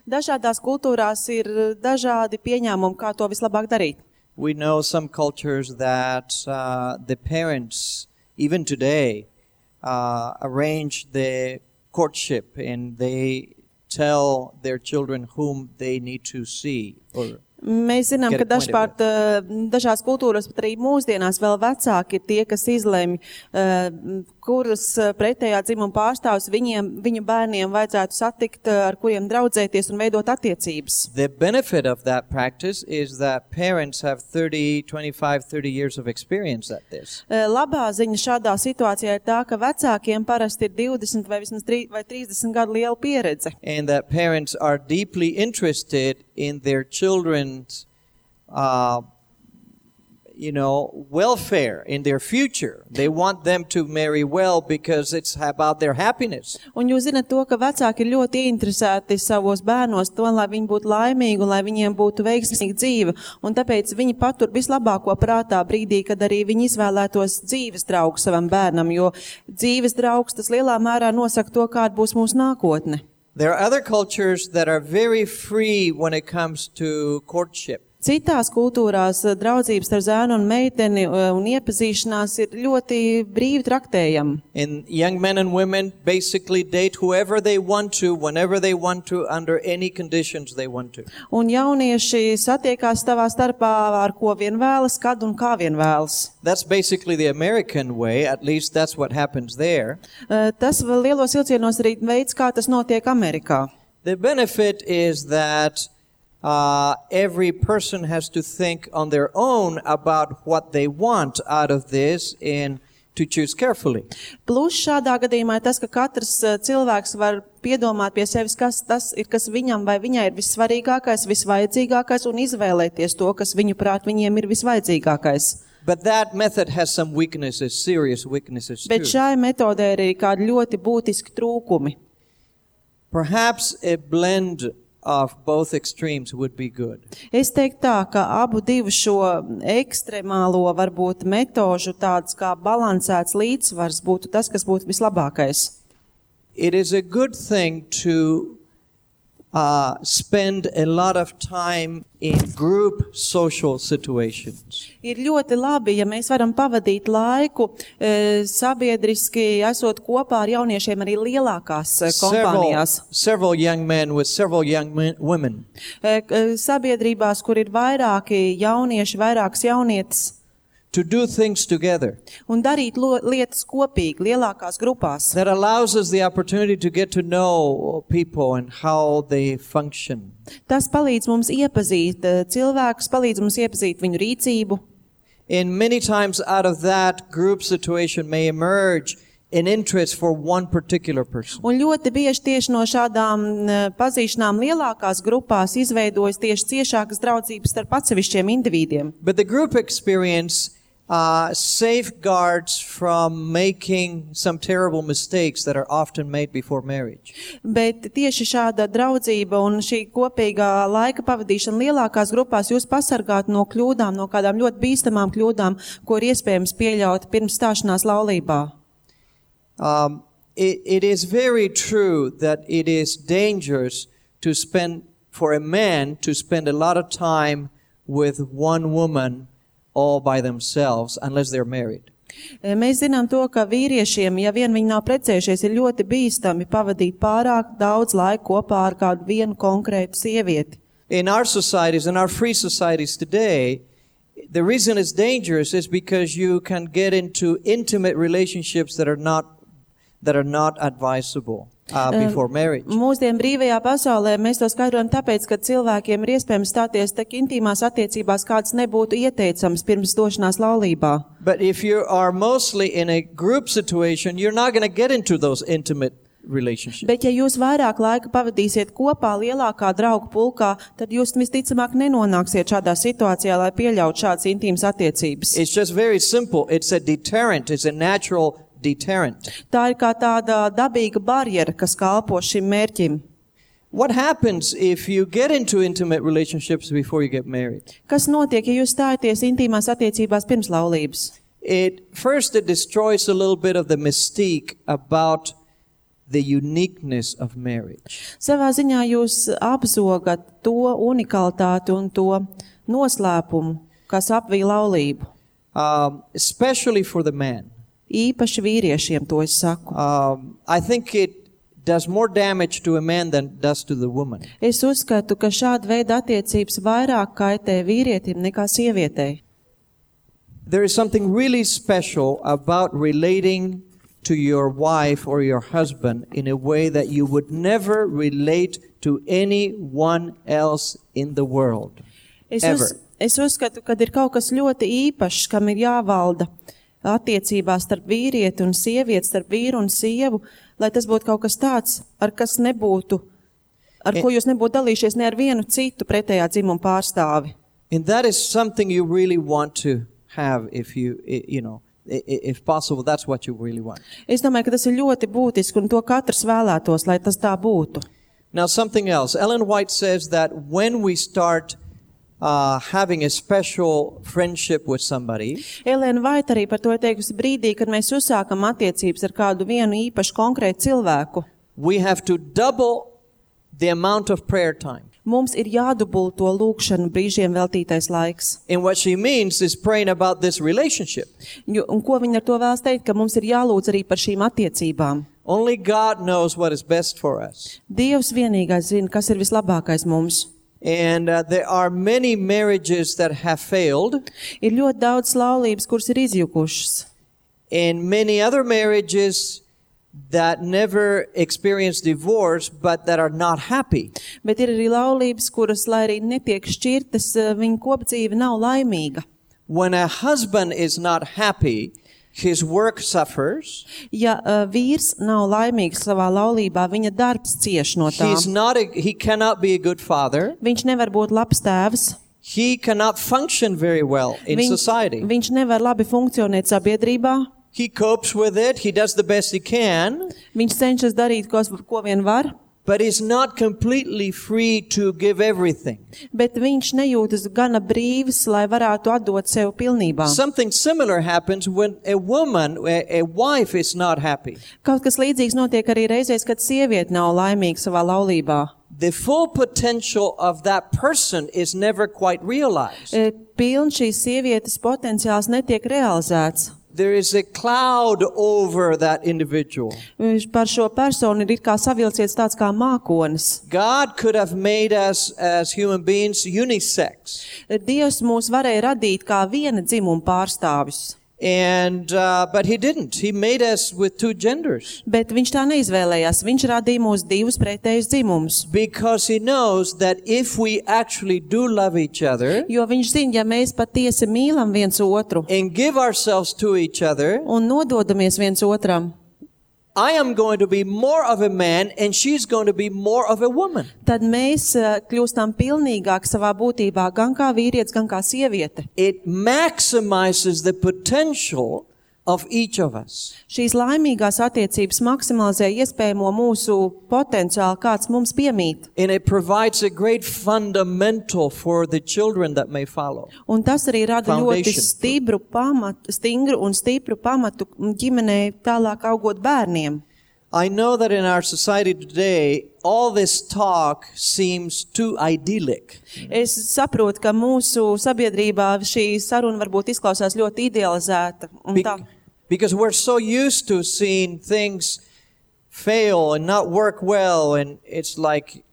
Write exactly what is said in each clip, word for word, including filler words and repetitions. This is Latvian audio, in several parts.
Dažādās kultūrās ir dažādi pieņēmumi, kā to vislabāk darīt. We know some cultures that uh, the parents, even today, uh, arrange the courtship and they tell their children whom they need to see or Mēs zinām, ka dažkārt dažās kultūras, pat arī mūsdienās vēl vecāki ir tie, kas izlemj, kuras pretējā dzimuma pārstāvs viņiem, viņu bērniem vajadzētu satikt, ar kuriem draudzēties un veidot attiecības. The benefit of that practice is that parents have thirty, twenty-five, thirty years of experience at this. Labā ziņa šādā situācijā ir tā, ka vecākiem parasti ir divdesmit vai vismaz trīsdesmit gadu liela pieredze. And that parents are deeply interested in their children's, uh, you know, welfare, in their future. They want them to marry well because it's about their happiness. Un jūs zināt to, ka vecāki ir ļoti interesēti savos bērnos to, lai viņi būtu laimīgi un lai viņiem būtu veiksmīga dzīve. Un tāpēc viņi patur vislabāko prātā brīdī, kad arī viņi izvēlētos dzīves draugu savam bērnam, jo dzīves draugs tas lielā mērā nosaka to, kāda būs mūsu nākotne. There are other cultures that are very free when it comes to courtship. Citās kultūrās draudzības ar zēnu un meiteni un iepazīšanās ir ļoti brīvi traktējama. And young men and women basically date whoever they want to, whenever they want to, under any conditions they want to. Un jaunieši satiekās savā starpā ar ko vien vēlas, kad un kā vien vēlas. That's basically the American way, at least that's what happens there. Tas vēl lielos vilcienos arī veids, kā tas notiek Amerikā. The benefit is that Uh, every person has to think on their own about what they want out of this and to choose carefully. Plus šādā gadījumā ir tas, ka katrs cilvēks var piedomāt pie sevis, kas tas ir, kas viņam vai viņai ir vissvarīgākais, visvajadzīgākais un izvēlēties to, kas viņu prāt viņiem ir visvajadzīgākais. But that method has some weaknesses, serious weaknesses too. Bet šai metodē ir kādi ļoti būtiski trūkumi. Perhaps a blend of both extremes would be good. Es teiktu tā, ka abu divu šo ekstremālo varbūt metožu tāds kā balansēts līdzsvars būtu tas, kas būtu vislabākais. It is a good thing to uh, spend a lot of time in group social situations. Ir ļoti labi, ja mēs varam pavadīt laiku e, sabiedriski, esot kopā ar jauniešiem arī lielākās kompānijās. Several, several young men with several young men, women. E, sabiedrībās, kur ir vairāki jaunieši, vairākas jaunietes. To do things together. Un darīt lo, lietas kopīgi, lielākās grupās. That allows us the opportunity to get to know people and how they function. Tas palīdz mums iepazīt cilvēkus, palīdz mums iepazīt viņu rīcību. And many times out of that group situation may emerge an interest for one particular person. Un ļoti bieži tieši no šādām pazīšanām lielākās grupās izveidojas tieši ciešākas draudzības starp atsevišķiem individiem. But the group experience Uh, safeguards from making some terrible mistakes that are often made before marriage. Bet tieši šāda draudzība un šī kopīgā laika pavadīšana lielākās grupās jūs pasargāt no kļūdām, no kādām ļoti bīstamām kļūdām, ko ir iespējams pieļaut pirms stāšanās laulībā. Um, it, it is very true that it is dangerous to spend, for a man to spend a lot of time with one woman all by themselves, unless they're married. Mēs zinām to, ka vīriešiem, ja vien viņi nav precējušies, ir ļoti bīstami pavadīt pārāk daudz laika kopā ar kādu vienu konkrētu sievieti. In our societies, in our free societies today, the reason it's dangerous is because you can get into intimate relationships that are not that are not advisable. Uh, before marriage. Mūsdien brīvajā pasaulē mēs to skaidrojam tāpēc, ka cilvēkiem ir iespējams stāties tik intīmās attiecībās, kāds nebūtu ieteicams pirms došanās laulībā. But if you are mostly in a group situation, you're not going to get into those intimate relationships. Bet ja jūs vairāk laika pavadīsiet kopā lielākā draugu pulkā, tad jūs visticamāk nenonāksiet šādā situācijā, lai pieļautu šādas intīmas attiecības. It's just very simple. It's a deterrent. It's a natural deterrent. Tā ir kā tāda dabīga barjera, kas kalpo šim mērķim. What happens if you get into intimate relationships before you get married? Kas notiek, ja jūs stājaties intīmās attiecībās pirms laulības? It first it destroys a little bit of the mystique about the uniqueness of marriage. Savā ziņā jūs apzogat to unikalitāti un to noslēpumu, kas apvij laulību. Um, especially for the man. Īpaši vīriešiem to es saku. Um, I think it does more damage to a man than it does to the woman. Es uzskatu, ka šāda veida attiecības vairāk kaitē vīrietim nekā sievietei. There is something really special about relating to your wife or your husband in a way that you would never relate to anyone else in the world. Es, Ever. uz, es uzskatu, ka ir kaut kas ļoti īpašs, kam ir jāvalda attiecībās starp vīrieti un sievieti, starp vīru un sievu, lai tas būtu kaut kas tāds, ar kas nebūtu, ar ko jūs nebūtu dalījušies ne ar vienu citu pretējā dzimuma pārstāvi. And that is something you really want to have if you, you know, if possible, that's what you really want. Es domāju, ka tas ir ļoti būtiski un to katrs vēlētos, lai tas tā būtu. Now something else. Ellen White says that when we start uh, having a special friendship with somebody, Elēna Vaita arī par to ir teikusi brīdī, kad mēs uzsākam attiecības ar kādu vienu īpašu konkrētu cilvēku. we have to double the amount of prayer time. Mums ir jādubulto lūkšanu brīžiem veltītais laiks. And what she means is praying about this relationship. Jo, un ko viņa ar to vēlas teikt, ka mums ir jālūdz arī par šīm attiecībām. Only God knows what is best for us. Dievs vienīgais zina, kas ir vislabākais mums. And uh, there are many marriages that have failed, Ir ļoti daudz laulības, kuras ir izjukušas. and many other marriages that never experience divorce but that are not happy. Bet ir arī laulības, kuras, lai arī netiek šķirtas, viņa kopdzīve nav laimīga. When a husband is not happy, his work suffers. Ja uh, vīrs nav laimīgs savā laulībā, viņa darbs cieš no tā. He's not a, he cannot be a good father. Viņš nevar būt labs tēvs. He cannot function very well in Viņš, society. viņš nevar labi funkcionēt sabiedrībā. He copes with it. He does the best he can, Viņš cenšas darīt, ko, ko vien var, but he's not completely free to give everything. bet viņš nejūtas gana brīvs, lai varētu atdot sev pilnībā. Something similar happens when a woman, a, a wife is not happy. Kaut kas līdzīgs notiek arī reizēs, kad sieviete nav laimīga savā laulībā. The full potential of that person is never quite realized. E, Piln šīs sievietes potenciāls netiek realizēts. There is a cloud over that individual. Viņš par šo personu ir it kā savilcies tāds kā mākonis. God could have made us as human beings unisex. Dievs mūs varēja radīt kā viena dzimuma pārstāvis, And, uh, but he didn't. He made us with two genders. bet viņš tā neizvēlējās. Viņš radīja mūs divus pretējus dzimumus. Because he knows that if we actually do love each other Jo viņš zina, ja mēs patiesi mīlam viens otru and give ourselves to each other, un nododamies viens otram, I am going to be more of a man and she's going to be more of a woman. tad mēs uh, kļūstam pilnīgāk savā būtībā, gan kā vīrietis, gan kā sieviete. It maximizes the potential of each of us. Šīs laimīgās attiecības maksimalizē iespējamo mūsu potenciālu, kāds mums piemīt. And it provides a great fundamental for the children that may follow. Un tas arī rada ļoti Foundation. stipru pamatu, stingru un stipru pamatu ģimenei tālāk augot bērniem. I know that in our society today, all this talk seems too idyllic. Es saprotu, ka mūsu sabiedrībā šī saruna varbūt izklausās ļoti idealizēta. Un Be- tā. because we're so used to seeing things fail and not work well, and it's like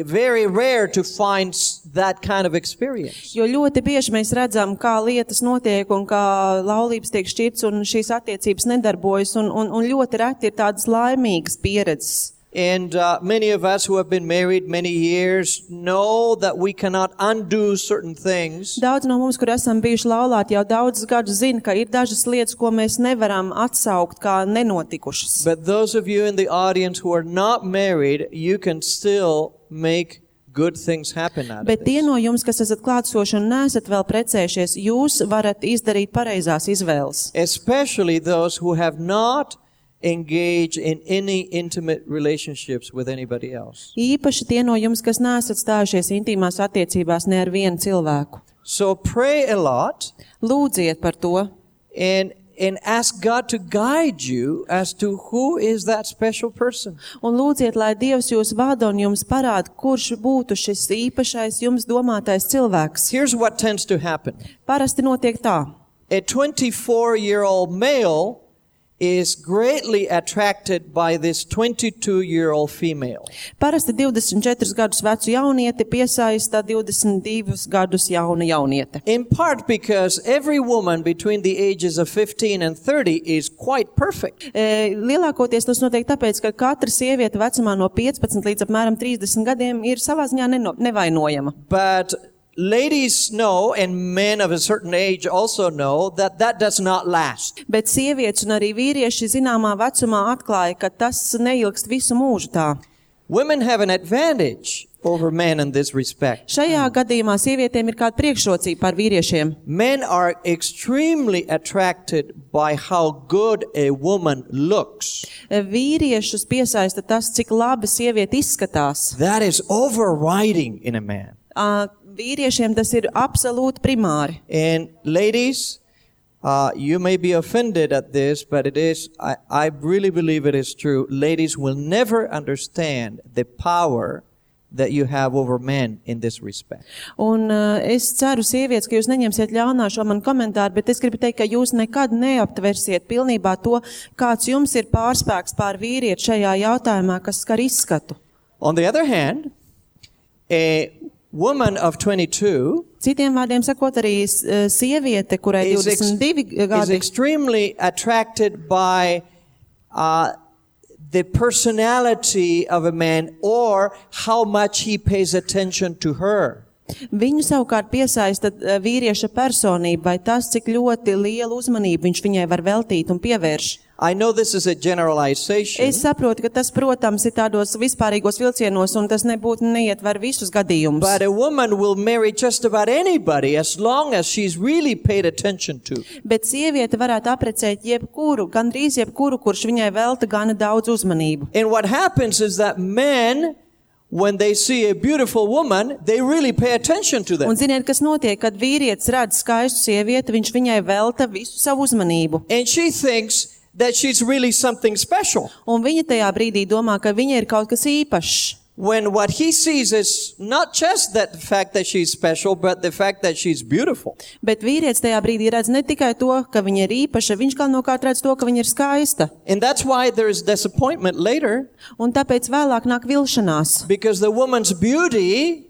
very rare to find s- that kind of experience. Jo ļoti bieži mēs redzam, kā lietas notiek un kā laulības tiek šķirts un šīs attiecības nedarbojas, un, un, un ļoti reti ir tādas laimīgas pieredzes. And uh, many of us who have been married many years know that we cannot undo certain things. Daudz no mums, kur esam bijuši laulāti jau daudzus gadus, zina, ka ir dažas lietas, ko mēs nevaram atsaukt kā nenotikušas. But those of you in the audience who are not married, you can still make good things happen out of Bet tie this. no jums, kas esat klātsoši un neesat vēl precējušies, jūs varat izdarīt pareizās izvēles. Especially those who have not engaged in any intimate relationships with anybody else. Īpaši tie no jums, kas neesat stājušies intīmās attiecībās ne ar vienu cilvēku. So pray a lot, Lūdziet par to. and and ask God to guide you as to who is that special person. Un lūdziet, lai Dievs jūs vada un jums parāda, kurš būtu šis īpašais jums domātais cilvēks. Here's what tends to happen. Parasti notiek tā. A twenty-four-year-old male is greatly attracted by this twenty-two-year-old female. Parasti divdesmit četrus gadus vecu jaunieti piesaista divdesmit divus gadus jauna jauniete. In part because every woman between the ages of fifteen and thirty is quite perfect. E, lielākoties tas notiek tāpēc, ka katra sieviete vecumā no piecpadsmit līdz apmēram trīsdesmit gadiem ir savā ziņā neno, nevainojama. But ladies know, and men of a certain age also know, that that does not last. Bet sievietes un arī vīrieši zināmā vecumā atklāja, ka tas neilgst visu mūžu tā. Women have an advantage over men in this respect. Šajā gadījumā sievietēm ir kāda priekšrocība pār vīriešiem. Men are extremely attracted by how good a woman looks. Vīriešus piesaista tas, cik labi sieviete izskatās. That is overriding in a man. Uh, vīriešiem tas ir absolūti primāri. And ladies, uh, you may be offended at this, but it is, I, I really believe it is true. Ladies will never understand the power that you have over men in this respect. Un uh, es ceru, sievietes, ka jūs neņemsiet ļaunā šo manu komentāru, bet es gribu teikt, ka jūs nekad neaptversiet pilnībā to, kāds jums ir pārspēks pār vīrieti šajā jautājumā, kas skar izskatu. On the other hand, a woman of twenty-two Citiem vārdiem sakot, arī sieviete, kurai is, ex- divdesmit divi is gadi, extremely attracted by uh, the personality of a man or how much he pays attention to her. viņu savukārt piesaista uh, vīrieša personība vai tas, cik ļoti lielu uzmanību viņš viņai var veltīt un pievērš. I know this is a generalization. Es saprotu, ka tas, protams, ir tādos vispārīgos vilcienos, un tas nebūtu neietver visus gadījumus. But a woman will marry just about anybody as long as she's really paid attention to. Bet sieviete varētu aprecēt jebkuru, gandrīz jebkuru, kurš viņai velta gana daudz uzmanību. And what happens is that men, when they see a beautiful woman, they really pay attention to them. Un ziniet, kas notiek, kad vīrietis redz skaistu sievieti, viņš viņai velta visu savu uzmanību. And she thinks that she's really something special. Un viņa tajā brīdī domā, ka viņa ir kaut kas īpašs. When what he sees is not just that the fact that she's special, but the fact that she's beautiful. Bet vīrietis tajā brīdī redz ne tikai to, ka viņa ir īpaša, viņš galvenokārt redz to, ka viņa ir skaista. And that's why there is disappointment later, Un tāpēc vēlāk nāk vilšanās, because the woman's beauty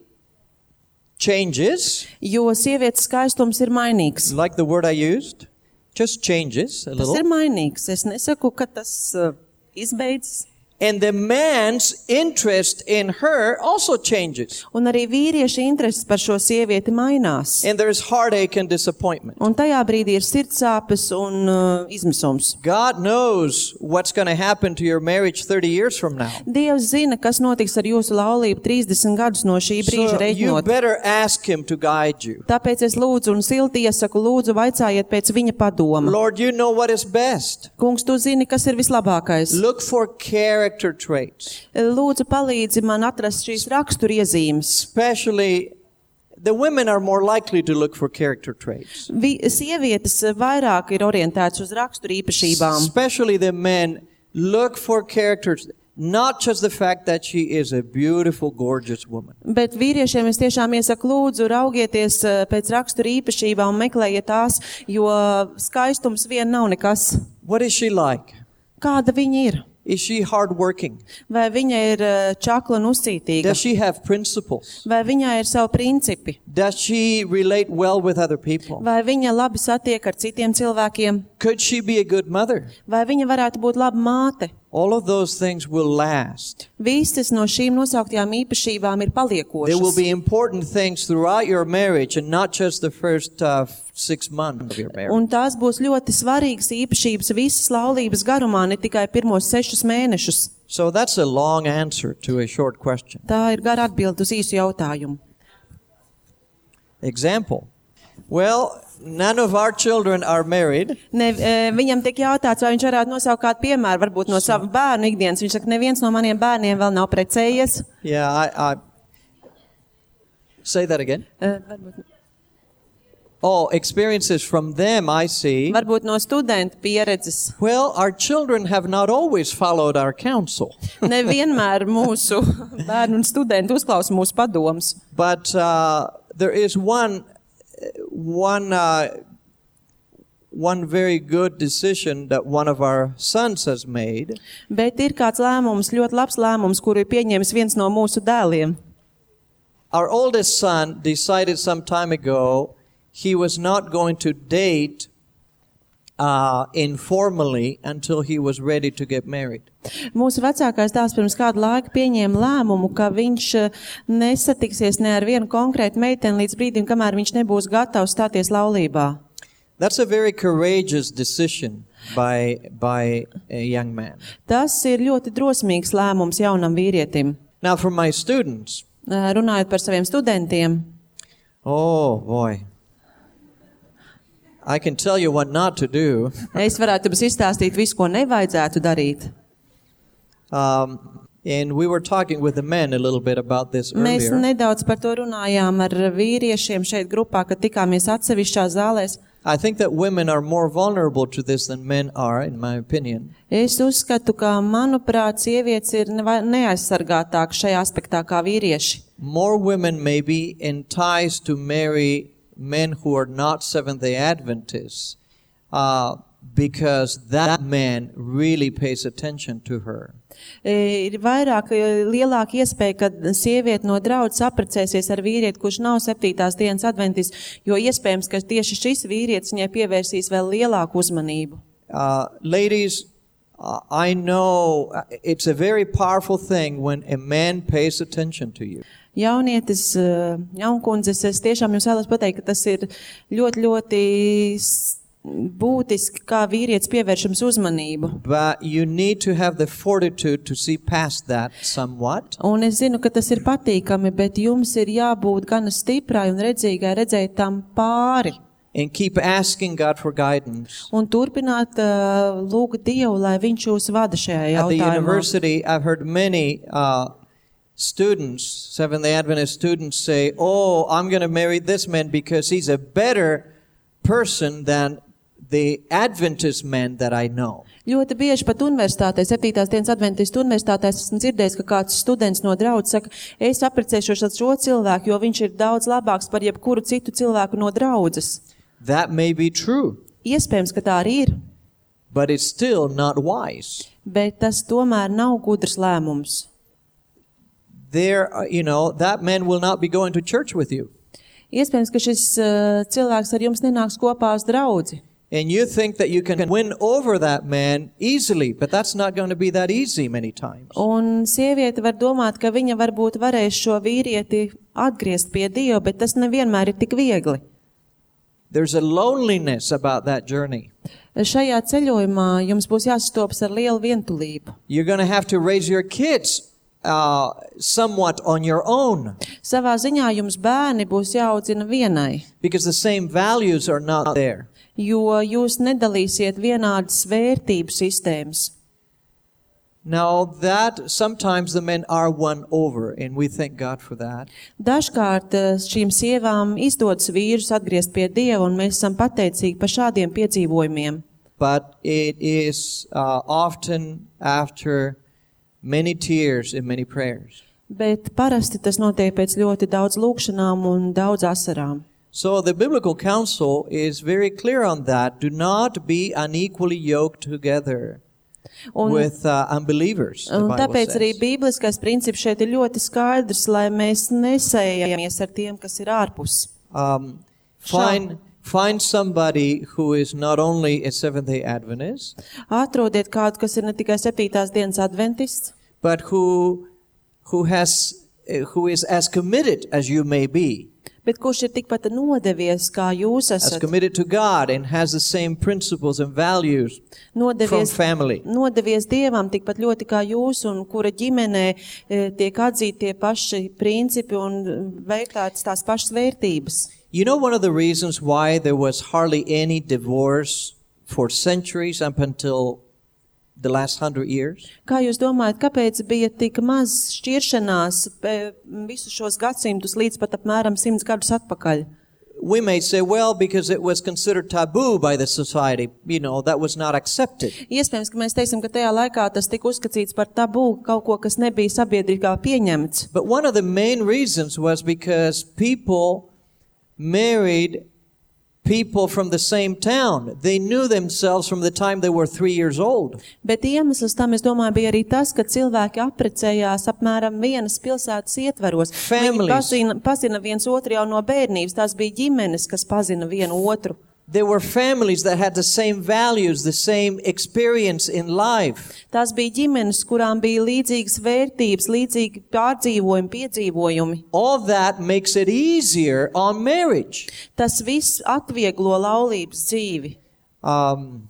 changes, jo sievietes skaistums ir mainīgs. like the word I used, just changes a Tas ir little. mainīgs. Es nesaku, ka tas uh, izbeidzas. And the man's interest in her also changes. Un arī vīrieša intereses par šo sievieti mainās. And there's heartache and disappointment. Un tajā brīdī ir sirdsāpes un uh, izmisums. God knows what's going to happen to your marriage thirty years from now. Dievs zina, kas notiks ar jūsu laulību trīsdesmit gadus no šī brīža So you reiķinot. better ask him to guide you. Tāpēc es lūdzu un silti iesaku, lūdzu vaicājiet pēc viņa padoma. Lord, you know what is best. Kungs, tu zini, kas ir vislabākais. Look for character traits. Lūdzu palīdzi man atrast šīs raksturiezīmes. Especially, the women are more likely to look for character traits. Vi, sievietes vairāk ir orientētas uz raksturīpašībām. Especially the men look for characters, not just the fact that she is a beautiful, gorgeous woman. Bet vīriešiem es tiešām iesaku, lūdzu raugieties eh, pēc raksturīpašībām un meklējiet tās, jo skaistums vien nav nekas. What is she like? Kāda viņa ir? Is she hardworking? Vai viņa ir eh, čakla un uzcītīga? Does she have principles? Vai viņai ir savi principi? Does she relate well with other people? Vai viņa labi satiek ar citiem cilvēkiem? Could she be a good mother? Vai viņa varētu būt laba māte? All of those things will last. Visas no šīm nosauktajām īpašībām ir There will paliekošas. be important things throughout your marriage and not just the first uh, six months of your marriage. Un tās būs ļoti svarīgas īpašības visas laulības garumā, ne tikai pirmos sešus mēnešus. So that's a long answer to a short question. Tā ir gara atbilde uz īsu jautājumu. Example. Well, none of our children are married. Ne, e, viņam tiek jautāts, vai viņš varētu nosaukt kādu piemēru, varbūt no sava bērnu ikdienas. Viņš saka, neviens no maniem bērniem vēl nav precējies. Yeah, I, I say that again. E, varbūt- Oh, experiences from them, I see. Varbūt no studentu pieredzes. Well, our children have not always followed our counsel. Nevienmēr mūsu bērnu un studentu uzklausa mūsu padomus. But uh, there is one, one, uh, one very good decision that one of our sons has made. Bet ir kāds lēmums, ļoti labs lēmums, kuru ir pieņēmis viens no mūsu dēliem. Our oldest son decided some time ago he was not going to date uh, informally until he was ready to get married. Mūsu vecākais dēls pirms kādu laiku pieņēma lēmumu, ka viņš nesatiksies ne ar vienu konkrētu meiteni līdz brīdim, kamēr viņš nebūs gatavs stāties laulībā. That's a very courageous decision by, by a young man. Tas ir ļoti drosmīgs lēmums jaunam vīrietim. Now for my students. Runājot par saviem studentiem. Oh boy. I can tell you what not to do. Es varētu jums izstāstīt visu, ko nevajadzētu darīt. Um, and we were talking with the men a little bit about this Mēs earlier. nedaudz par to runājām ar vīriešiem šeit grupā, kad tikāmies atsevišķās zālēs. I think that women are more vulnerable to this than men are, in my opinion. Es uzskatu, ka, manuprāt, sievietes ir neaizsargātākas šajā aspektā kā vīrieši. More women may be enticed to marry men who are not Seventh-day Adventists uh, because that man really pays attention to her. Ir vairāk, lielāka iespēja, ka sieviete no draudzes apprecēsies ar vīrieti, kurš nav septītās dienas adventists, jo iespējams, ka tieši šis vīrietis viņai pievērsīs vēl lielāku uzmanību. Uh, ladies, uh, I know it's a very powerful thing when a man pays attention to you. Jaunietis, jaunkundzes, es tiešām jums vēlos pateikt, ka tas ir ļoti, ļoti būtiski, kā vīrietis pievērš jums uzmanību. But you need to have the fortitude to see past that somewhat. Un es zinu, ka tas ir patīkami, bet jums ir jābūt gana stiprai un redzīgai redzēt tam pāri. And keep asking God for guidance. Un turpināt uh, lūgt Dievu, lai viņš jūs vada šajā At the jautājumā. university, I've heard many uh, students, Seventh-day Adventist students say, oh, I'm going to marry this man because he's a better person than the Adventist men that I know. Ļoti bieži pat universitātē, septītās dienas adventistu universitātē, esmu dzirdējis, ka kāds students no draudzes saka, es apprecēšos ar šo cilvēku, jo viņš ir daudz labāks par jebkuru citu cilvēku no draudzes. That may be true. Iespējams, ka tā arī ir, But it's still not wise. bet tas tomēr nav gudrs lēmums. There, uh, you know, that man will not be going to church with you. Iespējams, ka šis uh, cilvēks ar jums nenāks kopā uz draudzi. And you think that you can win over that man easily, but that's not going to be that easy many times. Un sieviete var domāt, ka viņa varbūt varēs šo vīrieti atgriezt pie Dieva, bet tas nevienmēr ir tik viegli. There's a loneliness about that journey. Šajā ceļojumā jums būs jāsastopas ar lielu vientulību. You're going to have to raise your kids uh, somewhat on your own Savā ziņā jums bērni būs jāaudzina vienai, because the same values are not there. jo jūs nedalīsiet vienādas vērtību sistēmas. Now that sometimes the men are won over, and we thank God for that. Dažkārt eh, šīm sievām izdodas vīrus atgriezt pie Dieva, un mēs esam pateicīgi par šādiem piedzīvojumiem. But it is uh, often after many tears and many prayers. Bet parasti tas notiek pēc ļoti daudz lūgšanām un daudz asarām. So the biblical counsel is very clear on that. Do not be unequally yoked together Un, with uh, unbelievers. The un Bible tāpēc arī says. bībliskais princips šeit ir ļoti skaidrs, lai mēs nesējamies ar tiem, kas ir ārpus. Um, find find somebody who is not only a Seventh-day Adventist, Atrodiet kādu, kas ir ne tikai septītās dienas adventists, but who who has uh, who is as committed as you may be, bet kurš ir tikpat nodevies, kā jūs as esat. committed to God and has the same principles and values from Nodevies, family. nodevies Dievam tikpat ļoti kā jūs, un kura ģimenē e, tiek atzīti tie paši principi un vērtētas tās pašas vērtības. You know, one of the reasons why there was hardly any divorce for centuries up until the last hundred years? Kā jūs domājat, kāpēc bija tik maz šķiršanās e, visus šos gadsimtus līdz pat apmēram simts gadus atpakaļ? we may say, well, because it was considered taboo by the society, you know, that was not accepted. Iespējams, ka mēs teiksim, ka tajā laikā tas tika uzskatīts par tabū, kaut ko, kas nebija sabiedrībā pieņemts. But one of the main reasons was because people married people from the same town. They knew themselves from the time they were three years old. Bet iemesls tam, es domāju, bija arī tas, ka cilvēki apprecējās apmēram vienas pilsētas ietvaros. Viņi pazina, pazina viens otru jau no bērnības. Tās bija ģimenes, kas pazina vienu otru. There were families that had the same values, the same experience in life. Tās bija ģimenes, kurām bija līdzīgas vērtības, līdzīgi pārdzīvojumi, piedzīvojumi. All that makes it easier on marriage. Tas viss atvieglo laulības dzīvi. Um,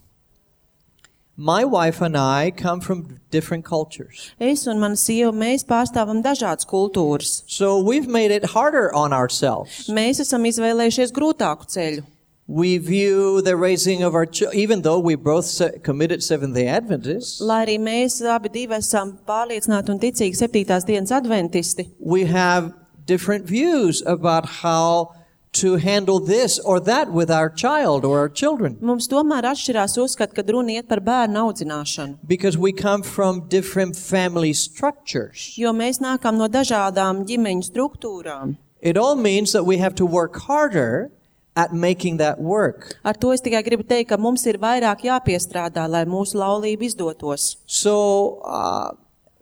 my wife and I come from different cultures. Es un mana sieva, mēs pārstāvam dažādas kultūras. So we've made it harder on ourselves. Mēs esam izvēlējušies grūtāku ceļu. We view the raising of our children, even though we both se- committed Seventh-day Adventists, Lai arī mēs abi divi esam pārliecināti un ticīgi septītās dienas adventisti, we have different views about how to handle this or that with our child or our children. mums tomēr atšķirās uzskat, kad runa iet par bērnu audzināšanu. Because we come from different family structures. Jo mēs nākam no dažādām ģimeņu struktūrām. It all means that we have to work harder at making that work. Ar to es tikai gribu teikt, ka mums ir vairāk jāpiestrādā, lai mūsu laulība izdotos. So, uh,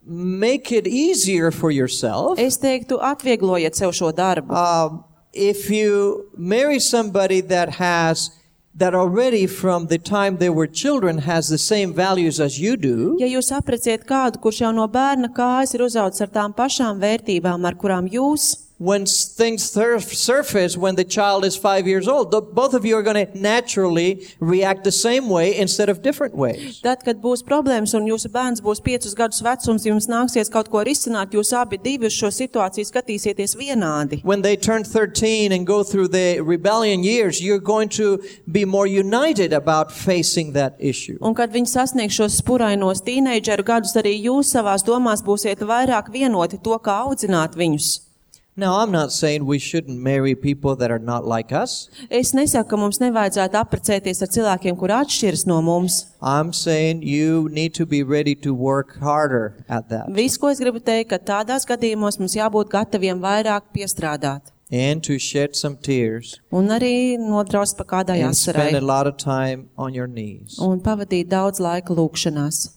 make it easier for yourself. Es teiktu, atvieglojiet sev šo darbu. Um, if you marry somebody that has, that already from the time they were children has the same values as you do, Ja jūs apreciet kādu, kurš jau no bērna kājas ir uzaudzis ar tām pašām vērtībām, ar kurām jūs, when s- things surf- surface when the child is five years old, the, both of you are going to naturally react the same way instead of different ways. tad, kad būs problēmas un jūsu bērns būs piecus gadus vecums, jums nāksies kaut ko risināt, jūs abi divi uz šo situāciju skatīsieties vienādi. When they turn thirteen and go through the rebellion years, you're going to be more united about facing that issue. Un kad viņi sasniegs šos spurainos tīneidžeru gadus, arī jūs savās domās būsiet vairāk vienoti to, kā audzināt viņus. Now, I'm not saying we shouldn't marry people that are not like us. Es nesaku, ka mums nevajadzētu apprecēties ar cilvēkiem, kur atšķiras no mums. I'm saying you need to be ready to work harder at that. Viss, ko es gribu teikt, ka tādās gadījumos mums jābūt gataviem vairāk piestrādāt. And to shed some tears Un arī nodraust pa kādai and spend a asarai. lot of time on your knees. Un pavadīt daudz laika lūkšanās.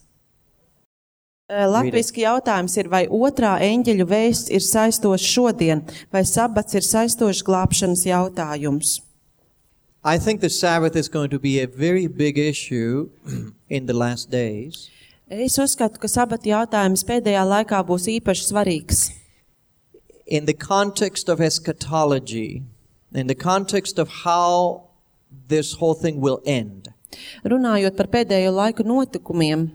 Latviski jautājums ir, vai otrā eņģeļu vēsts ir saistošs šodien, vai sabats ir saistošs glābšanas jautājums? I think the Sabbath is going to be a very big issue in the last days. Es uzskatu, ka sabata jautājums pēdējā laikā būs īpaši svarīgs. In the context of eschatology, in the context of how this whole thing will end, Runājot par pēdējo laiku notikumiem,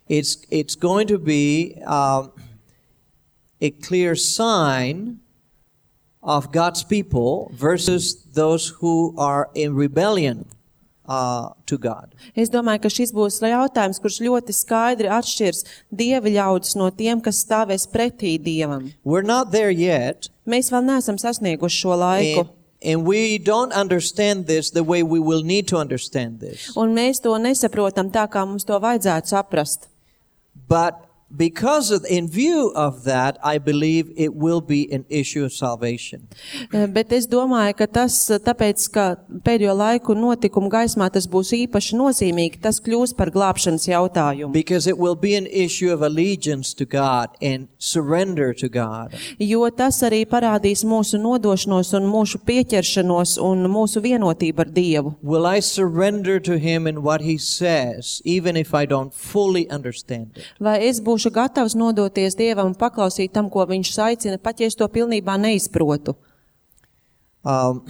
it's it's going to be um, a clear sign of God's people versus those who are in rebellion uh, to God. es domāju, ka šis būs jautājums, kurš ļoti skaidri atšķirs Dieva ļaudis no tiem, kas stāvēs pretī Dievam. We're not there yet, Mēs vēl neesam sasnieguši šo laiku. and, and we don't understand this the way we will need to understand this. Un mēs to nesaprotam tā, kā mums to vajadzētu saprast. But because of, in view of that, I believe it will be an issue of salvation. Eh, Bet es domāju, ka tas, eh, tāpēc, ka pēdējo laiku notikumu gaismā tas būs īpaši nozīmīgi, tas kļūs par glābšanas jautājumu. Because it will be an issue of allegiance to God and surrender to God. Jo tas arī parādīs mūsu nodošanos un mūsu pieķeršanos un mūsu vienotību ar Dievu. Will I surrender to Him in what He says, even if I don't fully understand it? Vai es būšu gatavs nodoties Dievam un paklausīt tam, ko Viņš aicina, pat ja es to pilnībā neizprotu? Um,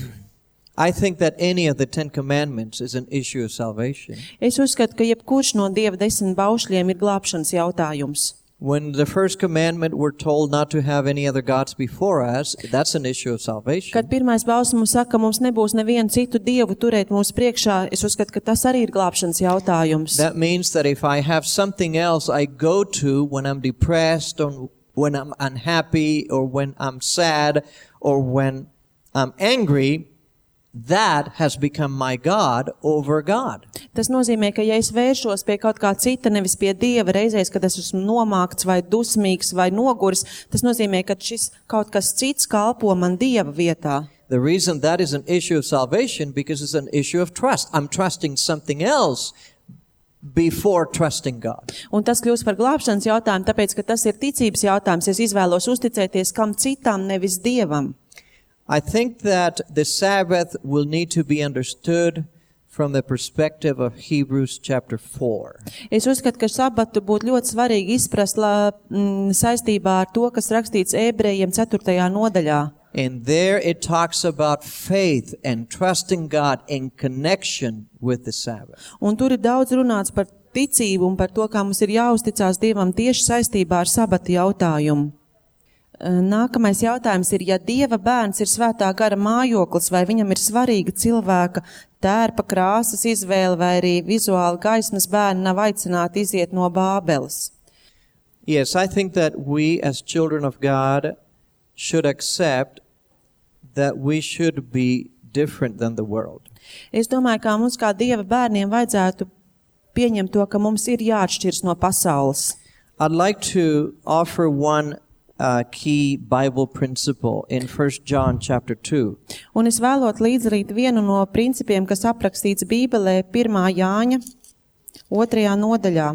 I think that any of the Ten Commandments is an issue of salvation. Es uzskatu, ka jebkurš no Dieva desmit baušļiem ir glābšanas jautājums. When the first commandment we're told not to have any other gods before us, that's an issue of salvation. Kad pirmais bauslis mums saka, ka mums nebūs nevienu citu Dievu turēt mūsu priekšā, es uzskatu, ka tas arī ir glābšanas jautājums. That means that if I have something else I go to when I'm depressed or when I'm unhappy or when I'm sad or when I'm angry, that has become my God over God. Tas nozīmē, ka ja es vēršos pie kaut kā cita, nevis pie Dieva reizēs, kad es esmu nomākts vai dusmīgs vai noguris, tas nozīmē, ka šis kaut kas cits kalpo man Dieva vietā. The reason that is an issue of salvation, because it's an issue of trust. I'm trusting something else before trusting God. Un tas kļūst par glābšanas jautājumu, tāpēc, ka tas ir ticības jautājums. Es izvēlos uzticēties kam citam, nevis Dievam. I think that the Sabbath will need to be understood from the perspective of Hebrews chapter four. Es uzskatu, ka sabatu būtu ļoti svarīgi izprast la, mm, saistībā ar to, kas rakstīts Ebrejiem ceturtajā nodaļā. And there it talks about faith and trusting God in connection with the Sabbath. Un tur ir daudz runāts par ticību un par to, kā mums ir jāuzticās Dievam tieši saistībā ar sabata jautājumu. Nākamais jautājums ir, ja Dieva bērns ir svētā gara mājoklis, vai viņam ir svarīga cilvēka tērpa krāsas izvēle, vai arī vizuāli gaismas bērni nav aicināti iziet no Bābeles? Yes, I think that we as children of God should accept that we should be different than the world. Es domāju, ka mums kā Dieva bērniem vajadzētu pieņemt to, ka mums ir jāatšķirs no pasaules. I'd like to offer one uh, key Bible principle in First John chapter two. Un es vēlot līdzrīt vienu no principiem, kas aprakstīts Bībelē pirmā Jāņa otrajā nodaļā.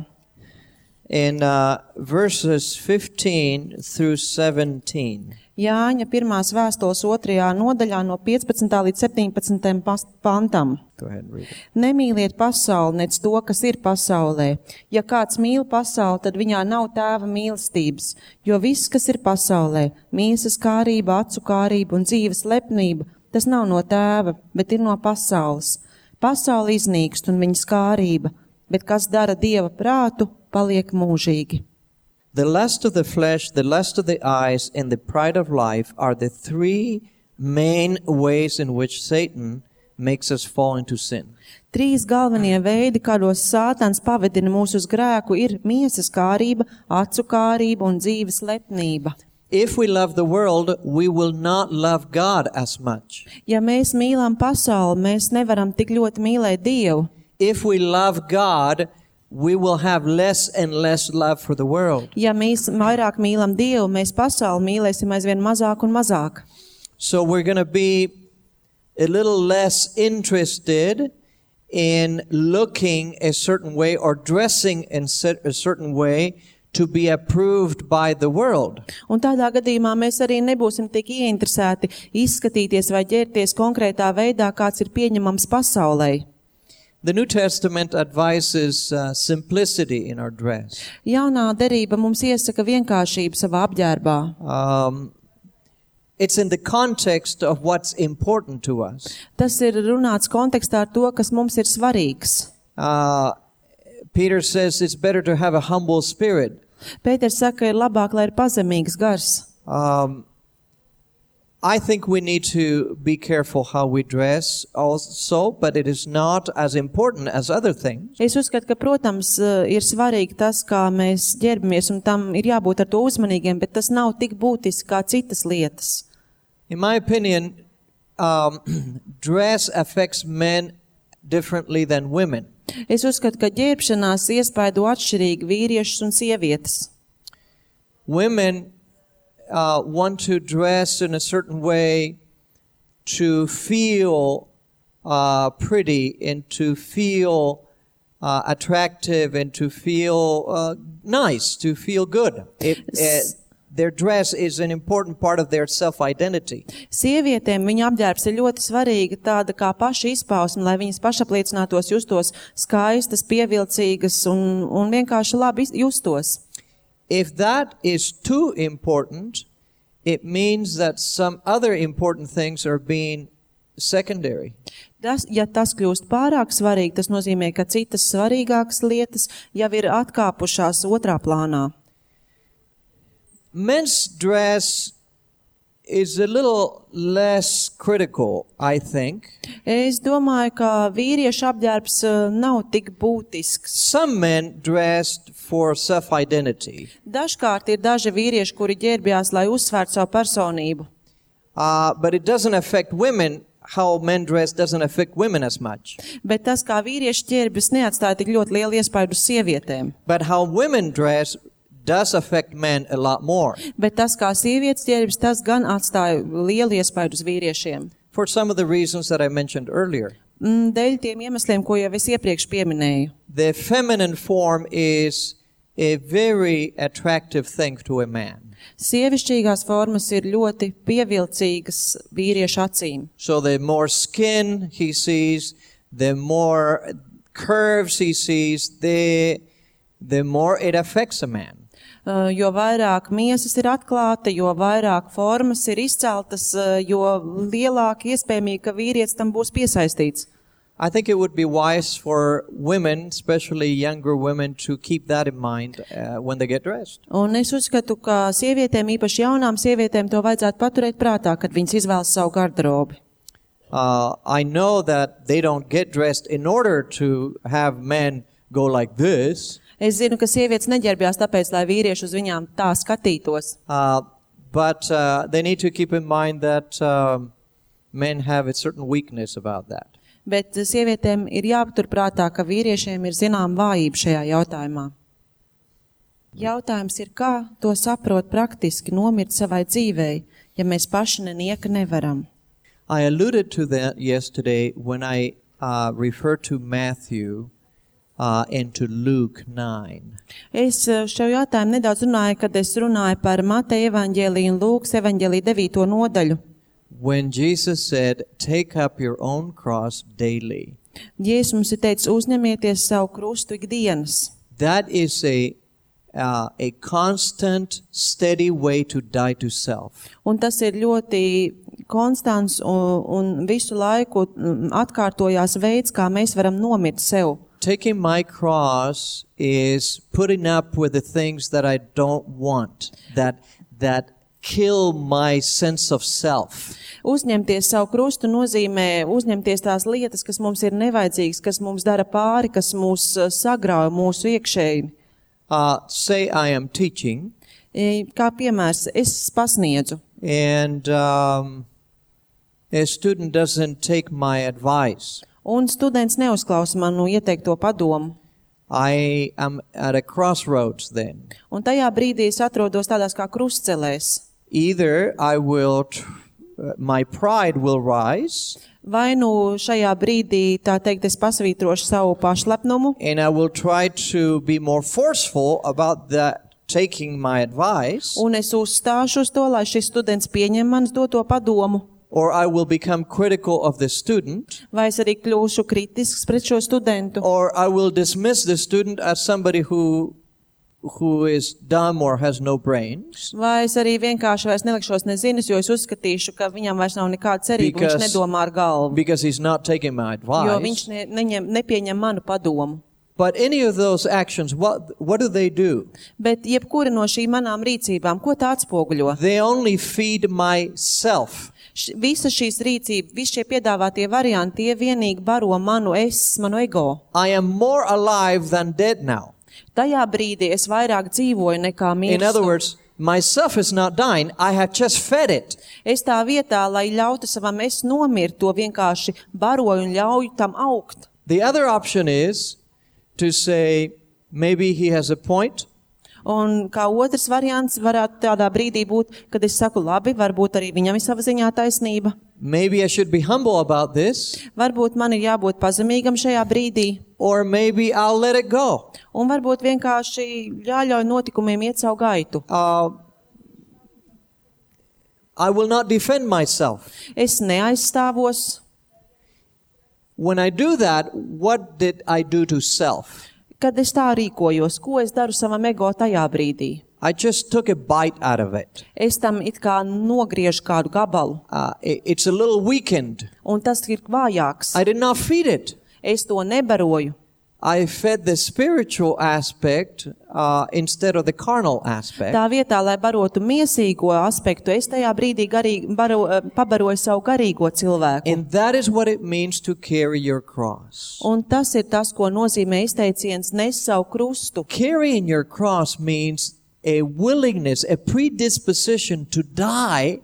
In uh, verses fifteen through seventeen. Jāņa pirmās vēstules otrajā nodaļā no piecpadsmitā līdz septiņpadsmitajam pantam. Go ahead and read it. Nemīliet pasauli, nec to, kas ir pasaulē. Ja kāds mīl pasauli, tad viņā nav tēva mīlestības, jo viss, kas ir pasaulē, miesas kārība, acu kārība un dzīves lepnība, tas nav no tēva, bet ir no pasaules. Pasaule iznīkst un viņas kārība, bet kas dara Dieva prātu, paliek mūžīgi. The lust of the flesh, the lust of the eyes, and the pride of life are the three main ways in which Satan makes us fall into sin. Trīs galvenie veidi, kādos Sātans pavedina mūs uz grēku, ir miesas kārība, acu kārība un dzīves lepnība. If we love the world, we will not love God as much. Ja mēs mīlam pasauli, mēs nevaram tik ļoti mīlēt Dievu. If we love God, we will have less and less love for the world. Ja mēs vairāk mīlam Dievu, mēs pasauli mīlēsim aizvien mazāk un mazāk. So we're going to be a little less interested in looking a certain way or dressing in a certain way to be approved by the world. Un tādā gadījumā mēs arī nebūsim tik ieinteresēti izskatīties vai ķerties konkrētā veidā, kāds ir pieņemams pasaulē. The New Testament advises uh, simplicity in our dress. Jaunā derība mums iesaka vienkāršību savā apģērbā. Um, it's in the context of what's important to us. Tas ir runāts kontekstā ar to, kas mums ir svarīgs. Uh, Peter says it's better to have a humble spirit. Pēters saka, ir labāk, lai ir pazemīgs gars. Um, I think we need to be careful how we dress also, but it is not as important as other things. Es uzskatu, ka, protams, ir svarīgi tas, kā mēs ģērbamies, un tam ir jābūt ar to uzmanīgiem, bet tas nav tik būtiski kā citas lietas. In my opinion, um, dress affects men differently than women. Es uzskatu, ka ģērbšanās iespaido atšķirīgi vīriešus un sievietes. Women uh, want to dress in a certain way to feel uh, pretty and to feel uh, attractive and to feel uh, nice, to feel good. It, it, their dress is an important part of their self-identity. Sievietēm viņa apģērbs ir ļoti svarīga, tāda kā paša izpausme, lai viņas pašapliecinātos, justos skaistas, pievilcīgas un, un vienkārši labi justos. If that is too important, it means that some other important things are being secondary. Tas, ja tas kļūst pārāk svarīgi, tas nozīmē, ka citas svarīgākas lietas jau ir atkāpušās otrā plānā. Men's dress is a little less critical, I think. Es domāju, ka vīriešu apģērbs nav tik būtisks. Some men dressed for self-identity. Dažkārt ir daži vīrieši, kuri ģērbjās, lai uzsvērtu savu personību. Uh, but it doesn't affect women how men dress doesn't affect women as much. Bet tas, kā vīrieši ķērbjas, neatstāja tik ļoti lielu iespaidu uz sievietēm. But how women dress does affect men a lot more. Bet tas, kā sievietes ķērbjas, tas gan atstāja lielu iespaidu uz vīriešiem. For some of the reasons that I mentioned earlier. Mm, Dēļ tiem iemesliem, ko jau es iepriekš pieminēju. The feminine form is a very attractive thing to a man. Sievišķīgās formas ir ļoti pievilcīgas vīriešu acīm. So the more skin he sees, the more curves he sees, the, the more it affects a man. Uh, jo vairāk miesas ir atklāta, jo vairāk formas ir izceltas, uh, jo lielāk iespējamība, ka vīrietis tam būs piesaistīts. I think it would be wise for women, especially younger women, to keep that in mind uh, when they get dressed. Un es uzskatu, ka sievietēm, īpaši jaunām sievietēm, to vajadzētu paturēt prātā, kad viņas izvēlas savu garderobi. Uh, I know that they don't get dressed in order to have men go like this. Es zinu, ka sievietes neģērbjās tāpēc, lai vīrieši uz viņām tā skatītos. Uh, but uh, they need to keep in mind that um, men have a certain weakness about that. Bet sievietēm ir jāpaturprātā, ka vīriešiem ir zinām vājība šajā jautājumā. Jautājums ir, kā to saprot praktiski nomirt savai dzīvei, ja mēs paši nenieka nevaram. I alluded to that yesterday when I uh, referred to Matthew uh, and to Luke nine. Es šo jautājumu nedaudz runāju, kad es runāju par Mateja evaņģēliju un Lūkas evaņģēliju devīto nodaļu. When Jesus said, take up your own cross daily. Jēzus mums ir teicis, uzņemieties savu krustu ikdienas. That is a, uh, a constant, steady way to die to self. Un tas ir ļoti konstants un, un visu laiku atkārtojās veids, kā mēs varam nomirt sev. Taking my cross is putting up with the things that I don't want, that, that kill my sense of self. Uzņemties savu krustu nozīmē uzņemties tās lietas, kas mums ir nevajadzīgas, kas mums dara pāri, kas mūs sagrauj mūsu iekšēji. Uh, say I am teaching. Kā piemērs, es pasniedzu. And um, a student doesn't take my advice. Un students neuzklausa manu ieteikto padomu. I am at a crossroads then. Un tajā brīdī es atrodos tādās kā krustcelēs. Either I will, uh, my pride will rise. Vai nu šajā brīdī, tā teikt, es pasvītrošu savu pašlepnumu. And I will try to be more forceful about that, taking my advice. Un es uzstāšu uz to, lai šis students pieņem manas doto padomu. Or I will become critical of the student. Vai es arī kļūšu kritisks pret šo studentu. Or I will dismiss the student as somebody who who is dumb or has no brains. Vai es arī vienkārši vairs nelikšos nezinis, jo es uzskatīšu, ka viņam vairs nav nekāda cerība, Because- viņš nedomā ar galvu. Because he's not taking my Jo viņš advice. ne, neņem, nepieņem manu padomu. But any of those actions, what what do they do? Bet jebkura no šīm manām rīcībām, ko tā atspoguļo? They only feed myself. Š, visa šīs rīcības, visi šie piedāvātie varianti, tie vienīgi baro manu es, manu ego. I am more alive than dead now. Tajā brīdī es vairāk dzīvoju nekā In other mirstu. words, myself is not dying. I have just fed it. Es tā vietā, lai ļautu savam es nomirt, to vienkārši baroju un ļauju tam augt. The other option is to say, maybe he has a point. Un kā otrs variants varētu tādā brīdī būt, kad es saku, labi, varbūt arī viņam ir sava ziņā taisnība. Maybe I should be humble about this. Varbūt man ir jābūt pazemīgam šajā brīdī. Or maybe I'll let it go. Un varbūt vienkārši jāļauj notikumiem iet savu gaitu. Uh, I will not defend myself. Es neaizstāvos. When I do that, what did I do to self? Kad es tā rīkojos, ko es daru savam ego tajā brīdī? I just took a bite out of it. Es tam it kā nogriežu kādu gabalu, Uh, it- it's a little weakened. un tas ir vājāks. I did not feed it. Es to nebaroju. I fed the spiritual aspect uh, instead of the carnal aspect. Tā vietā, lai barotu miesīgo aspektu, es tajā brīdī garīgi, baro, eh, pabaroju savu garīgo cilvēku. And that is what it means to carry your cross. Un tas ir tas, ko nozīmē izteiciens nes savu krustu. Carrying your cross means a willingness, a predisposition to die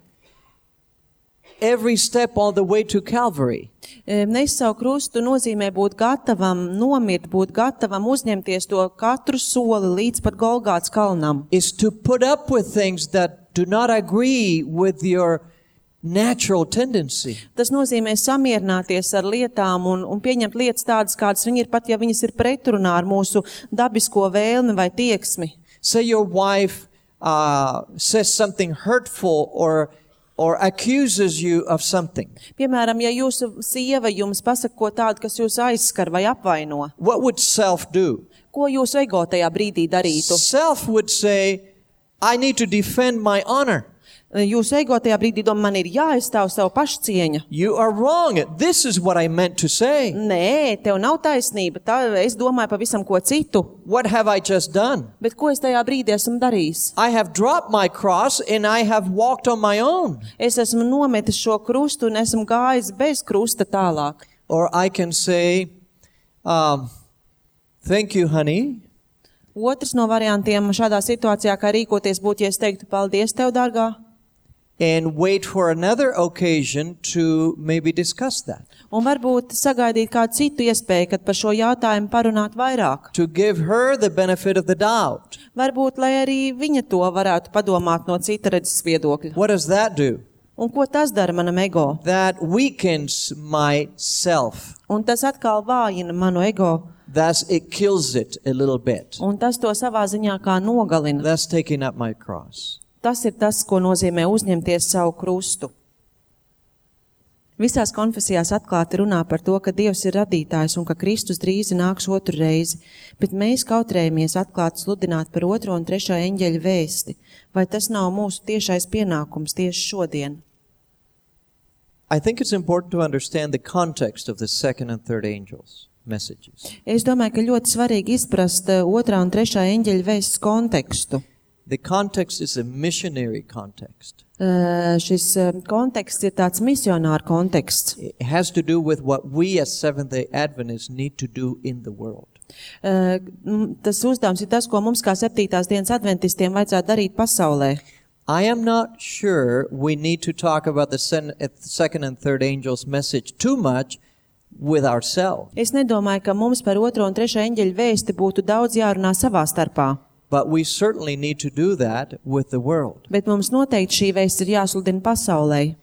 every step all the way to Calvary. Nes savu krustu nozīmē būt gatavam, nomirt, būt gatavam uzņemties to katru soli līdz pat Golgātas kalnam. Is to put up with things that do not agree with your natural tendency. Tas nozīmē samierināties ar lietām un, un pieņemt lietas tādas, kādas viņi ir, pat ja viņas ir pretrunā ar mūsu dabisko vēlmi vai tieksmi. Say your wife uh, says something hurtful or or accuses you of something. Piemēram, ja jūsu sieva jums pasaka ko tādu, kas jūs aizskar vai apvaino, What would self do? ko jūsu ego tajā brīdī darītu? Self would say, I need to defend my honor. Jūsu ego tajā brīdī domā, man ir jāaizstāv savu pašcieņa. You are wrong. This is what I meant to say. Nē, tev nav taisnība, tā es domāju pavisam ko citu. What have I just done? Bet ko es tajā brīdī esmu darījis? I have dropped my cross and I have walked on my own. Es esmu nometis šo krustu un esmu gājis bez krusta tālāk. Or I can say, um, thank you, honey. Otrs no variantiem šādā situācijā, kā rīkoties, būtu, ja es teiktu, paldies tev, dārgā. And wait for another occasion to maybe discuss that. Un varbūt sagaidīt kādu citu iespēju, kad par šo jautājumu parunāt vairāk. To give her the benefit of the doubt. Varbūt, lai arī viņa to varētu padomāt no cita redzes viedokļa. What does that do? Un ko tas dara manam ego? That weakens my self. Un tas atkal vājina manu ego. Thus it kills it a little bit. Un tas to savā ziņā kā nogalina. Thus taking up my cross. Tas ir tas, ko nozīmē uzņemties savu krustu. Visās konfesijās atklāti runā par to, ka Dievs ir radītājs un ka Kristus drīzi nāks otru reizi, bet mēs kautrējamies atklāti sludināt par otro un trešo eņģeļa vēsti. Vai tas nav mūsu tiešais pienākums tieši šodien? I think it's important to understand the context of the second and third angels' messages. Es domāju, ka ļoti svarīgi izprast otrā un trešā eņģeļa vēstes kontekstu. The context is a missionary context. Uh, šis uh, konteksts ir tāds misionāru konteksts. It has to do with what we as Seventh-day Adventists need to do in the world. Uh, tas uzdevums ir tas, ko mums kā septītās dienas adventistiem vajadzētu darīt pasaulē. I am not sure we need to talk about the second and third angels' message too much with ourselves. Es nedomāju, ka mums par otro un trešo eņģeļa vēsti būtu daudz jārunā savā starpā. But we certainly need to do that with the world. Bet mums noteikti šī vēsts ir jāsludina pasaulē.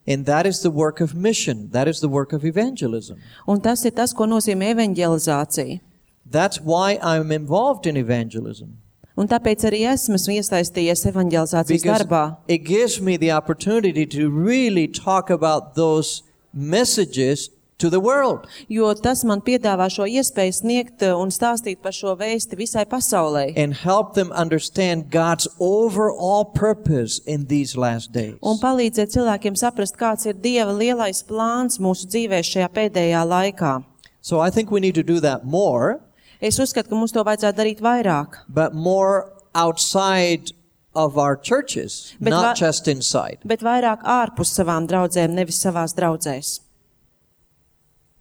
And that is the work of mission. That is the work of evangelism. Un tas ir tas, ko nozīmē evanģelizācija. That's why I'm involved in evangelism. Un tāpēc arī esmu iesaistījies evanģelizācijas Because darbā. it gives me the opportunity to really talk about those messages to the world. Jo tas man piedāvā šo iespēju sniegt un stāstīt par šo vēsti visai pasaulē. And help them understand God's overall purpose in these last days. Un palīdzēt cilvēkiem saprast, kāds ir Dieva lielais plāns mūsu dzīvēs šajā pēdējā laikā. So I think we need to do that more. Es uzskatu, ka mums to vajadzētu darīt vairāk. But more outside of our churches, Bet not va- just inside. Bet vairāk ārpus savām draudzēm, nevis savās draudzēs.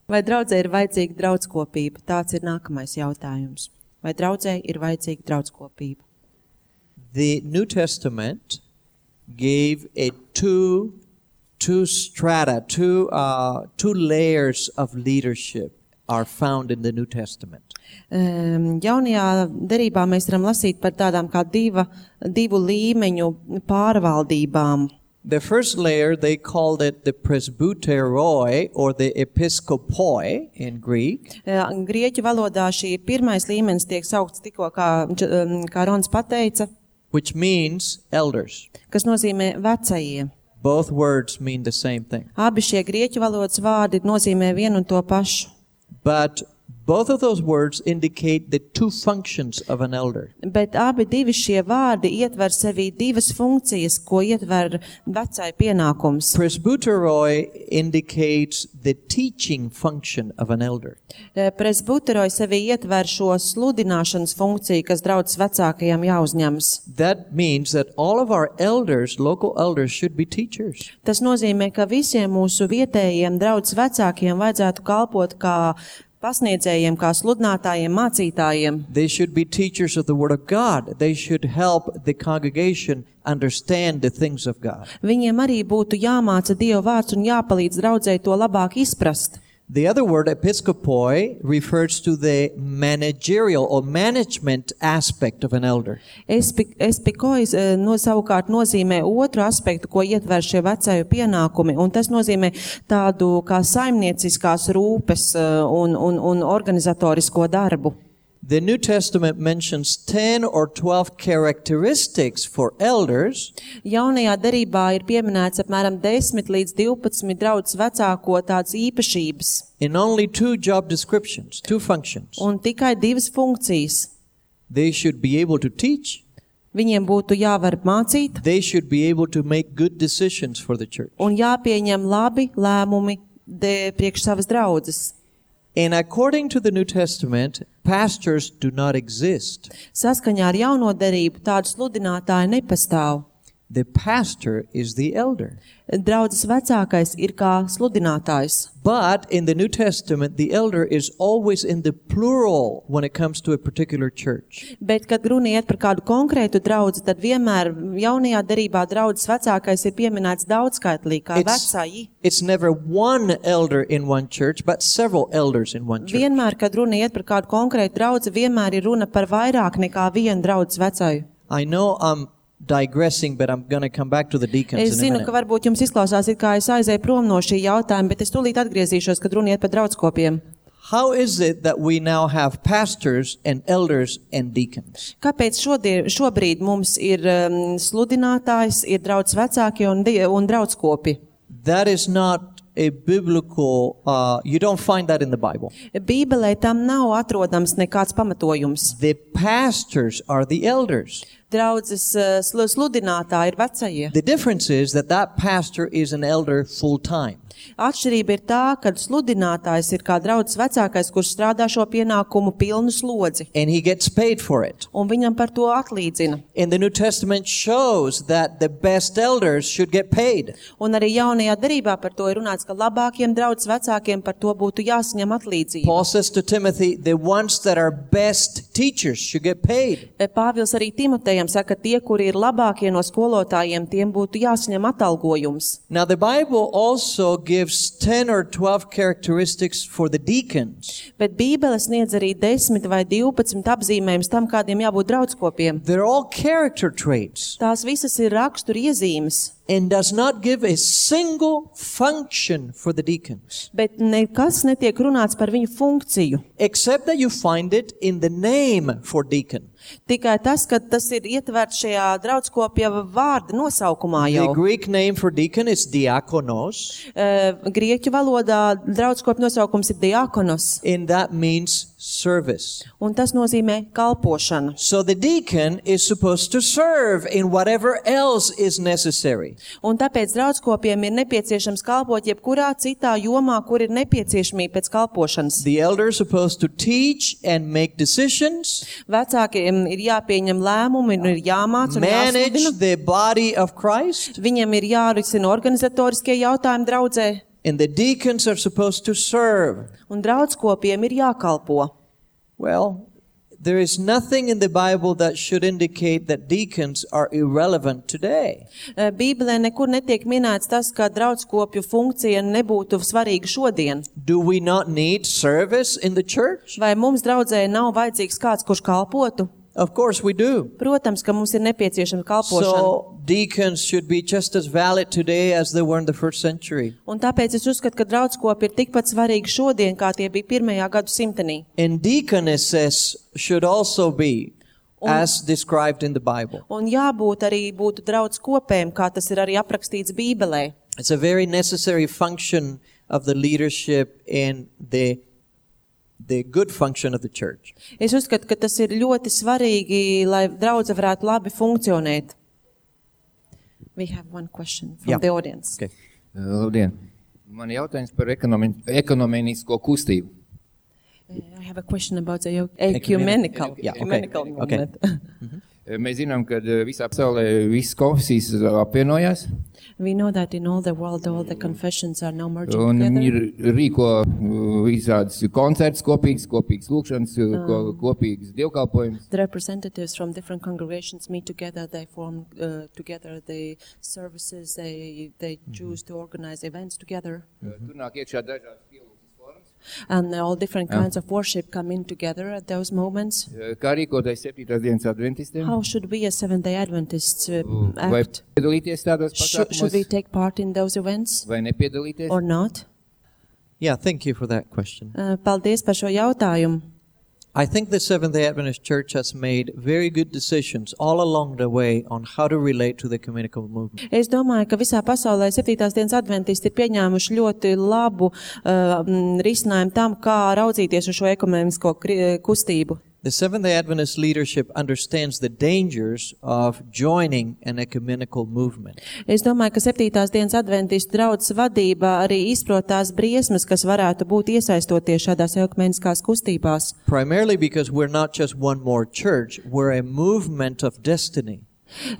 Vai draudzē ir vajadzīga draudskopība? Tāds ir nākamais jautājums. Vai draudzē ir vajadzīga draudskopība? The New Testament gave a two, two strata, two, uh, two layers of leadership are found in the New Testament. Um, jaunajā derībā mēs varam lasīt par tādām kā diva, divu līmeņu pārvaldībām. The first layer, they called it the presbyteroi or the episkopoi in Greek. Uh, Grieķu valodā šī pirmais līmenis tiek saukts tikko, kā, um, kā Rons pateica, Which means elders. kas nozīmē vecajie. Both words mean the same thing. Abi šie grieķu valodas vārdi nozīmē vienu un to pašu. But both of those words indicate the two functions of an elder. Bet abi divi šie vārdi ietver sevī divas funkcijas, ko ietver vecai pienākums. Presbyteroi indicates the teaching function of an elder. Presbuteroj sevī ietver šo sludināšanas funkciju, kas draudzes vecākajiem jāuzņemas. That means that all of our elders, local elders, should be teachers. Tas nozīmē, ka visiem mūsu vietējiem draudzes vecākiem vajadzētu kalpot kā pasniedzējiem, kā sludinātājiem, mācītājiem. They should be teachers of the Word of God. They should help the congregation understand the things of God. Viņiem arī būtu jāmāca Dieva vārds un jāpalīdz draudzei to labāk izprast. The other word, episkopoi, refers to the managerial or management aspect of an elder. Espikois no savukārt nozīmē otru aspektu, ko ietver šie vecāju pienākumi, un tas nozīmē tādu kā saimnieciskās rūpes un, un, un organizatorisko darbu. The New Testament mentions ten or twelve characteristics for elders. Jaunajā derībā ir pieminēts apmēram desmit līdz divpadsmit draudzes vecāko tādas īpašības. In only two job descriptions, two functions. Un tikai divas funkcijas. They should be able to teach. Viņiem būtu jāvar mācīt. They should be able to make good decisions for the church. Un jāpieņem labi lēmumi de, priekš savas draudzes. And according to the New Testament, pastors do not exist. Saskaņā ar jauno derību tādu sludinātāju nepastāv. The pastor is the elder. Draudzes vecākais ir kā sludinātājs. But in the New Testament, the elder is always in the plural when it comes to a particular church. Bet, kad runa iet par kādu konkrētu draudzi, tad vienmēr jaunajā derībā draudzes vecākais ir pieminēts daudzskaitlī kā vecāji. It's never one elder in one church, but several elders in one church. Vienmēr, kad runa iet par kādu konkrētu draudzi, vienmēr ir runa par vairāk nekā vienu draudzes vecāju. I know I'm digressing, but I'm going to come back to the deacons Es in a zinu, minute. ka varbūt jums izklausās, it kā es aizēju prom no šī jautājuma, bet es tūlīt atgriezīšos, kad runa iet par draudskopiem. How is it that we now have pastors and elders and deacons? Kāpēc šodien, šobrīd mums ir um, sludinātājs, ir draudzes vecāki un, un draudskopi? That is not a biblical, uh, you don't find that in the Bible. Bībelē tam nav atrodams nekāds pamatojums. The pastors are the elders. Draudzes uh, sludinātāji ir vecie. The difference is that that pastor is an elder full time. Atšķirība ir tā, ka sludinātājs ir kā draudzes vecākais, kurš strādā šo pienākumu pilnu slodzi. And he gets paid for it. Un viņam par to atlīdzina. And the New Testament shows that the best elders should get paid. Un arī jaunajā derībā par to ir runāts, ka labākiem draudzes vecākiem par to būtu jāsaņem atlīdzība. Paul says to Timothy, the ones that are best teachers should get paid. Pāvils arī Timotejam saka, tie, kuri ir labākie no skolotājiem, tiem būtu jāsaņem atalgojums. Now the Bible also gives ten or twelve characteristics for the deacons. Bet Bībele sniedz arī desmit vai divpadsmit apzīmējums tam, kādiem jābūt draudskopiem. They're all character traits. Tās visas ir rakstura iezīmes. And does not give a single function for the deacons. Bet nekas netiek runāts par viņu funkciju. Except that you find it in the name for deacon. Tikai tas, ka tas ir ietverts šajā draudskopja vārda nosaukumā jau. The Greek name for deacon is diakonos. Uh, Grieķu valodā draudskopja nosaukums ir diakonos. And that means service. Un tas nozīmē kalpošanu. So the deacon is supposed to serve in whatever else is necessary. Un tāpēc draudskopiem ir nepieciešams kalpot jebkurā citā jomā, kur ir nepieciešamība pēc kalpošanas. The elder is supposed to teach and make decisions. Vecākiem ir jāpieņem lēmumi un ir jāmāc un manage jāsludina. the body of Christ. Viņam ir jārisina organizatoriskie jautājumi draudzē. And the deacons are supposed to serve. Un draudskopiem ir jākalpo. Well, there is nothing in the Bible that should indicate that deacons are irrelevant today. Bībelē nekur netiek minēts tas, ka draudskopju funkcija nebūtu svarīga šodien. Do we not need service in the church? Vai mums draudzē nav vajadzīgs kāds, kurš kalpotu? Of course we do. Protams, ka mums ir nepieciešama kalpošana. So deacons should be just as valid today as they were in the first century. Un tāpēc es uzskatu, ka draudskopi ir tikpat svarīgi šodien, kā tie bija pirmajā gadu simtenī. And deaconesses should also be Un- as described in the Bible. Un jābūt arī būtu draudskopēm, kā tas ir arī aprakstīts Bībelē. It's a very necessary function of the leadership and the the good function of the church. Es uzskatu, ka tas ir ļoti svarīgi, lai draudze varētu labi funkcionēt. We have one question from Yeah. the audience. Okay. Labdien! Man jautājums par ekonomi, ekonomēnisko kustību. Uh, I have a question about the ecumenical, Yeah, okay. ecumenical Okay. movement. Mēs zinām, ka visā pasaulē visas konfesijas apvienojās. We know that in all the world, all the confessions are now merging Un together. ir rīko visādas koncerts kopīgas, kopīgas lūkšanas, ko- kopīgas dievkalpojumus. The representatives from different congregations meet together. They form uh, together the services. They they choose to organize events together, Tur nāk iekšā dažādas pielūgsmes formas. and all different Yeah. kinds of worship come in together at those moments. Kā rīkoties septītās dienas adventistiem? How should we, as Seventh-day Adventists, uh, Vai act? piedalīties tādos Should, should we pasākumos, take part in those events vai nepiedalīties? or not? Yeah, thank you for that question. Uh, paldies par šo jautājumu. I think the Seventh-day Adventist Church has made very good decisions all along the way on how to relate to the ecumenical movement. Es domāju, ka visā pasaulē septītās dienas adventisti ir pieņēmuši ļoti labu uh, mm, risinājumu tam, kā raudzīties uz šo ekumenisko kri- kustību. The Seventh-day Adventist leadership understands the dangers of joining an ecumenical movement. Es domāju, ka septītās dienas adventistu draudzes vadība arī izprot tās briesmas, kas varētu būt iesaistoties šādās ekumeniskās kustībās. Primarily because we're not just one more church, we're a movement of destiny.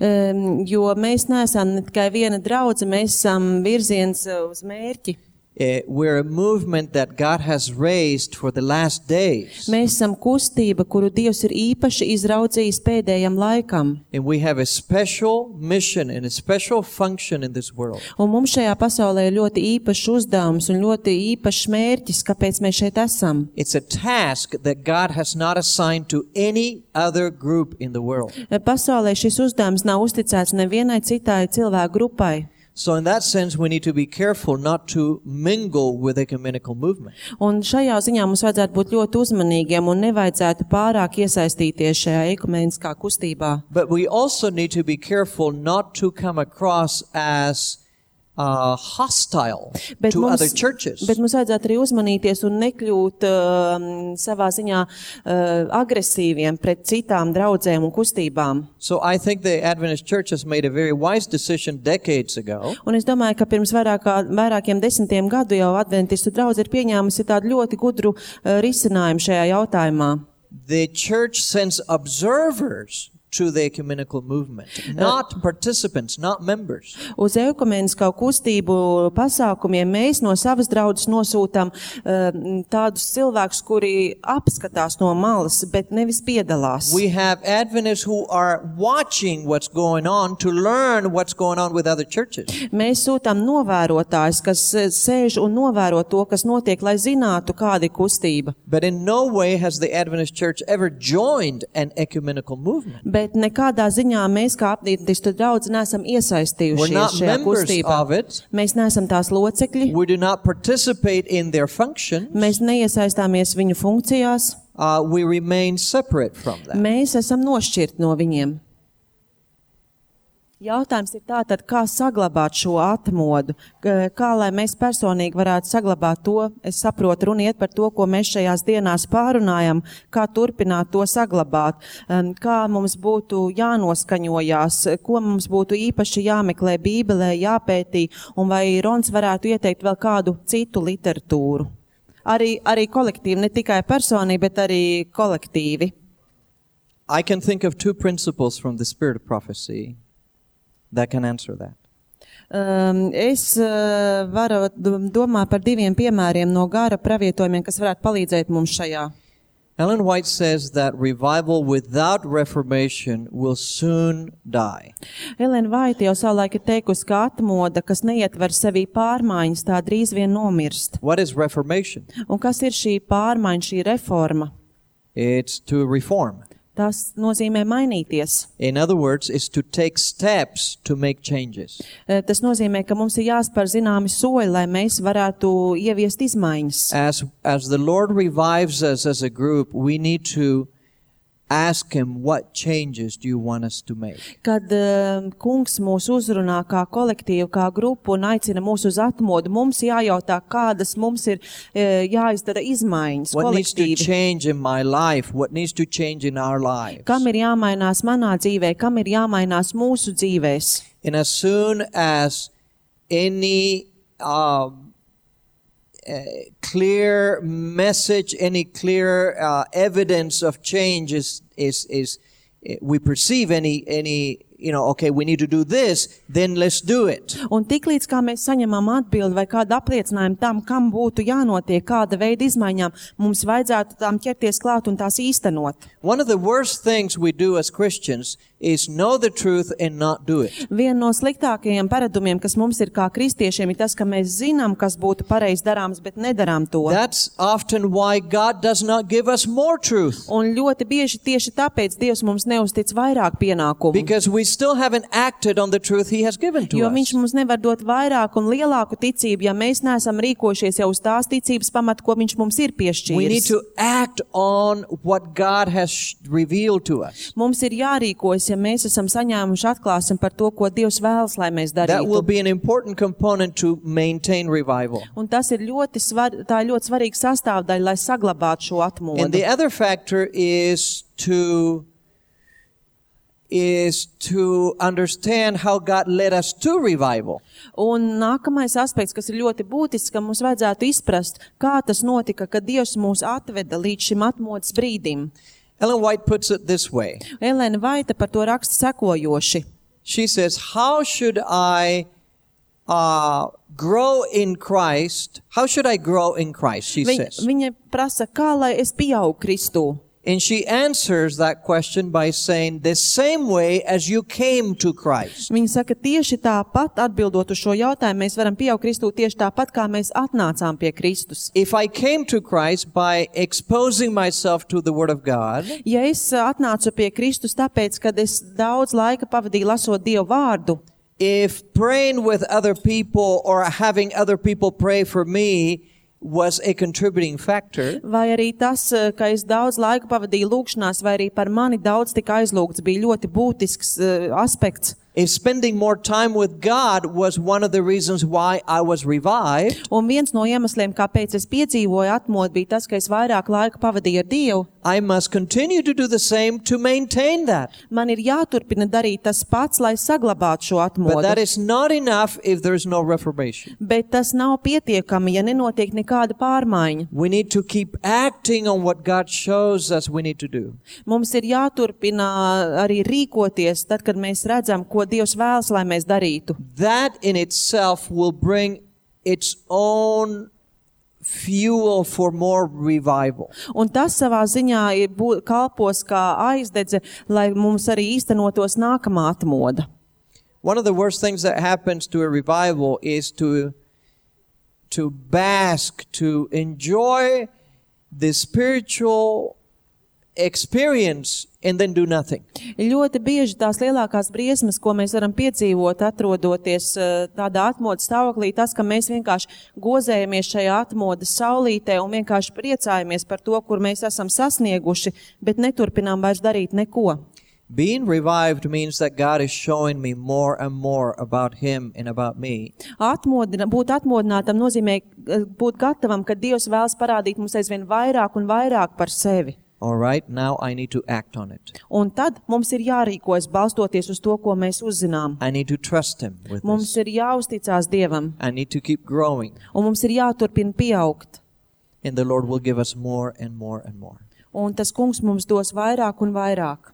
Um, jo mēs neesam ne tikai viena draudze, mēs esam virziens uh, uz mērķi. Uh, we're a movement that God has raised for the last days. Mēs esam kustība, kuru Dievs ir īpaši izraudzījis pēdējam laikam. And we have a special mission and a special function in this world. Un mums šajā pasaulē ir ļoti īpašs uzdevums un ļoti īpašs mērķis, kāpēc mēs šeit esam. It's a task that God has not assigned to any other group in the world. Pasaulē šis uzdevums nav uzticēts nevienai citai cilvēku grupai. So in that sense, we need to be careful not to mingle with ecumenical movement. Un šajā ziņā mums vajadzētu būt ļoti uzmanīgiem un nevajadzētu pārāk iesaistīties šajā ekumeniskā kustībā. But we also need to be careful not to come across as uh, hostile Bet to mums, other churches. bet mums vajadzētu arī uzmanīties un nekļūt uh, savā ziņā uh, agresīviem pret citām draudzēm un kustībām. So I think the Adventist Church has made a very wise decision decades ago. Un es domāju, ka pirms vairāk, kā- vairākiem desmitiem gadu jau adventistu draudze ir pieņēmusi tādu ļoti gudru uh, risinājumu šajā jautājumā. The church sends observers to the ecumenical movement, not participants, not members. Uz ekumenisko kustību pasākumiem mēs no savas draudzes nosūtam uh, tādus cilvēkus, kuri apskatās no malas, bet nevis piedalās. We have Adventists who are watching what's going on to learn what's going on with other churches. Mēs sūtām novērotājus, kas eh, sēž un novēro to, kas notiek, lai zinātu, kāda ir kustība. But in no way has the Adventist Church ever joined an ecumenical movement. Bet nekādā ziņā mēs kā adventistu draudze neesam We're iesaistījušies not šajā members kustībā. of it. Mēs neesam tās locekļi, We do not participate in their function. mēs neiesaistāmies viņu funkcijās, Uh, we remain separate from that. mēs esam nošķirti no viņiem. Jautājums ir tātad, kā saglabāt šo atmodu, K- kā lai mēs personīgi varētu saglabāt to, es saprotu, runa iet par to, ko mēs šajās dienās pārunājam, kā turpināt to saglabāt, um, kā mums būtu jānoskaņojās, ko mums būtu īpaši jāmeklē Bībelē, jāpētī, un vai Rons varētu ieteikt vēl kādu citu literatūru. Arī, arī kolektīvi, ne tikai personīgi, bet arī kolektīvi. I can think of two principles from the spirit of prophecy that can answer that. Um, es uh, varu d- domāt par diviem piemēriem no gara pravietojumiem, kas varētu palīdzēt mums šajā. Ellen White says that revival without reformation will soon die. Elena Vaita jau savulaik ir teikusi, ka atmoda, kas neietver sevī pārmaiņas, tā drīz vien nomirst. What is reformation? Un kas ir šī pārmaiņa, šī reforma? It's to reform. Tas nozīmē mainīties. In other words, it's to take steps to make changes. Eh, Tas nozīmē, ka mums ir jāspēr zināmi soļi, lai mēs varētu ieviest izmaiņas. As, as the Lord revives us as a group, we need to ask Him, what changes do you want us to make? Kad uh, kungs mūs uzrunā kā kolektīvu, kā grupu un aicina mūs uz atmodu, mums jājautā, kādas mums ir uh, jāizdara izmaiņas What needs to kolektīvi. change in my life? What needs to change in our lives? Kam ir jāmainās manā dzīvē, kam ir jāmainās mūsu dzīvēs. And as soon as any um, uh, clear message, any clear uh, evidence of change is, is, is, we perceive any, any, you know, okay, we need to do this, then let's do it. Un tiklīdz kā mēs saņemam atbildi vai kādu apliecinājumu tam, kam būtu jānotiek, kāda veida izmaiņām, mums vajadzētu tām ķerties klāt un tās īstenot. One of the worst things we do as Christians is know the truth and not do it. Viena no sliktākajiem paradumiem, kas mums ir kā kristiešiem, ir tas, ka mēs zinām, kas būtu pareizi darāms, bet nedarām to. That's often why God does not give us more truth. Un ļoti bieži tieši tāpēc Dievs mums neuztic vairāk pienākumu. Because we still haven't acted on the truth He has given to Jo us. viņš mums nevar dot vairāk un lielāku ticību, ja mēs neesam rīkojušies jau uz tās ticības pamata, ko viņš mums ir We need piešķīris. to act on what God has revealed to us. Mums ir jārīkojas, ja mēs esam saņēmuši atklāsim par to, ko Dievs vēlas, lai mēs That will darītu. be an important component to maintain revival. Un tas ir ļoti, svar, tā ir ļoti svarīga sastāvdaļa, lai saglabātu šo And the atmodu. other factor is to is to understand how God led us to revival. Un nākamais aspekts, kas ir ļoti būtisks, ka mums vajadzētu izprast, kā tas notika, kad Dievs mūs atveda līdz šim atmodas brīdim. Ellen White puts it this way. Elēna Vaita par to raksta sekojoši. She says, how should I uh, grow in Christ? How should I grow in Christ? She Viņ, says. viņa prasa, kā lai es pieaugu Kristū. And she answers that question by saying, the same way as you came to Christ. Viņa saka, tieši tāpat atbildot uz šo jautājumu, mēs varam pieaugt Kristū tieši tāpat, kā mēs atnācām pie Kristus. If I came to Christ by exposing myself to the Word of God, Ja es atnācu pie Kristus tāpēc, kad es daudz laika pavadīju lasot Dievu vārdu, if praying with other people or having other people pray for me was a contributing factor, vai arī tas, ka es daudz laika pavadīju lūgšanās, vai arī par mani daudz tika aizlūgts, bija ļoti būtisks uh, aspekts. if spending more time with God was one of the reasons why I was revived, Un viens no iemesliem, kāpēc es piedzīvoju atmodu, bija tas, ka es vairāk laika pavadīju ar Dievu. I must continue to do the same to maintain that. Man ir jāturpina darīt tas pats, lai saglabātu šo But that atmodu. is not enough if there is no reformation. Bet tas nav pietiekami, ja nenotiek nekāda pārmaiņa. We need to keep acting on what God shows us we need to do. Mums ir jāturpina arī rīkoties, tad, kad mēs redzam, ko Dievs vēlas, lai mēs darītu. That in itself will bring its own fuel for more revival. Un tas savā ziņā ir bū- kalpos kā aizdedze, lai mums arī īstenotos nākamā atmoda. One of the worst things that happens to a revival is to to bask, to enjoy the spiritual experience and then do nothing. Ļoti bieži tās lielākās briesmas, ko mēs varam piedzīvot, atrodoties eh, tādā atmodas stāvoklī, tas, ka mēs vienkārši gozējamies šajā atmodas saulītē un vienkārši priecājamies par to, kur mēs esam sasnieguši, bet neturpinām vairs darīt neko. Being revived means that God is showing me more and more about Him and about me. Atmodina, būt atmodinātam nozīmē eh, būt gatavam, ka Dievs vēlas parādīt mums aizvien vairāk un vairāk par sevi. All right, now I need to act on it. Un tad mums ir jārīkojas balstoties uz to, ko mēs uzzinām. I need to trust Him with Mums this. ir jāuzticās Dievam, I need to keep growing, un mums ir jāturpina pieaugt. and the Lord will give us more and more and more. Un tas kungs mums dos vairāk un vairāk.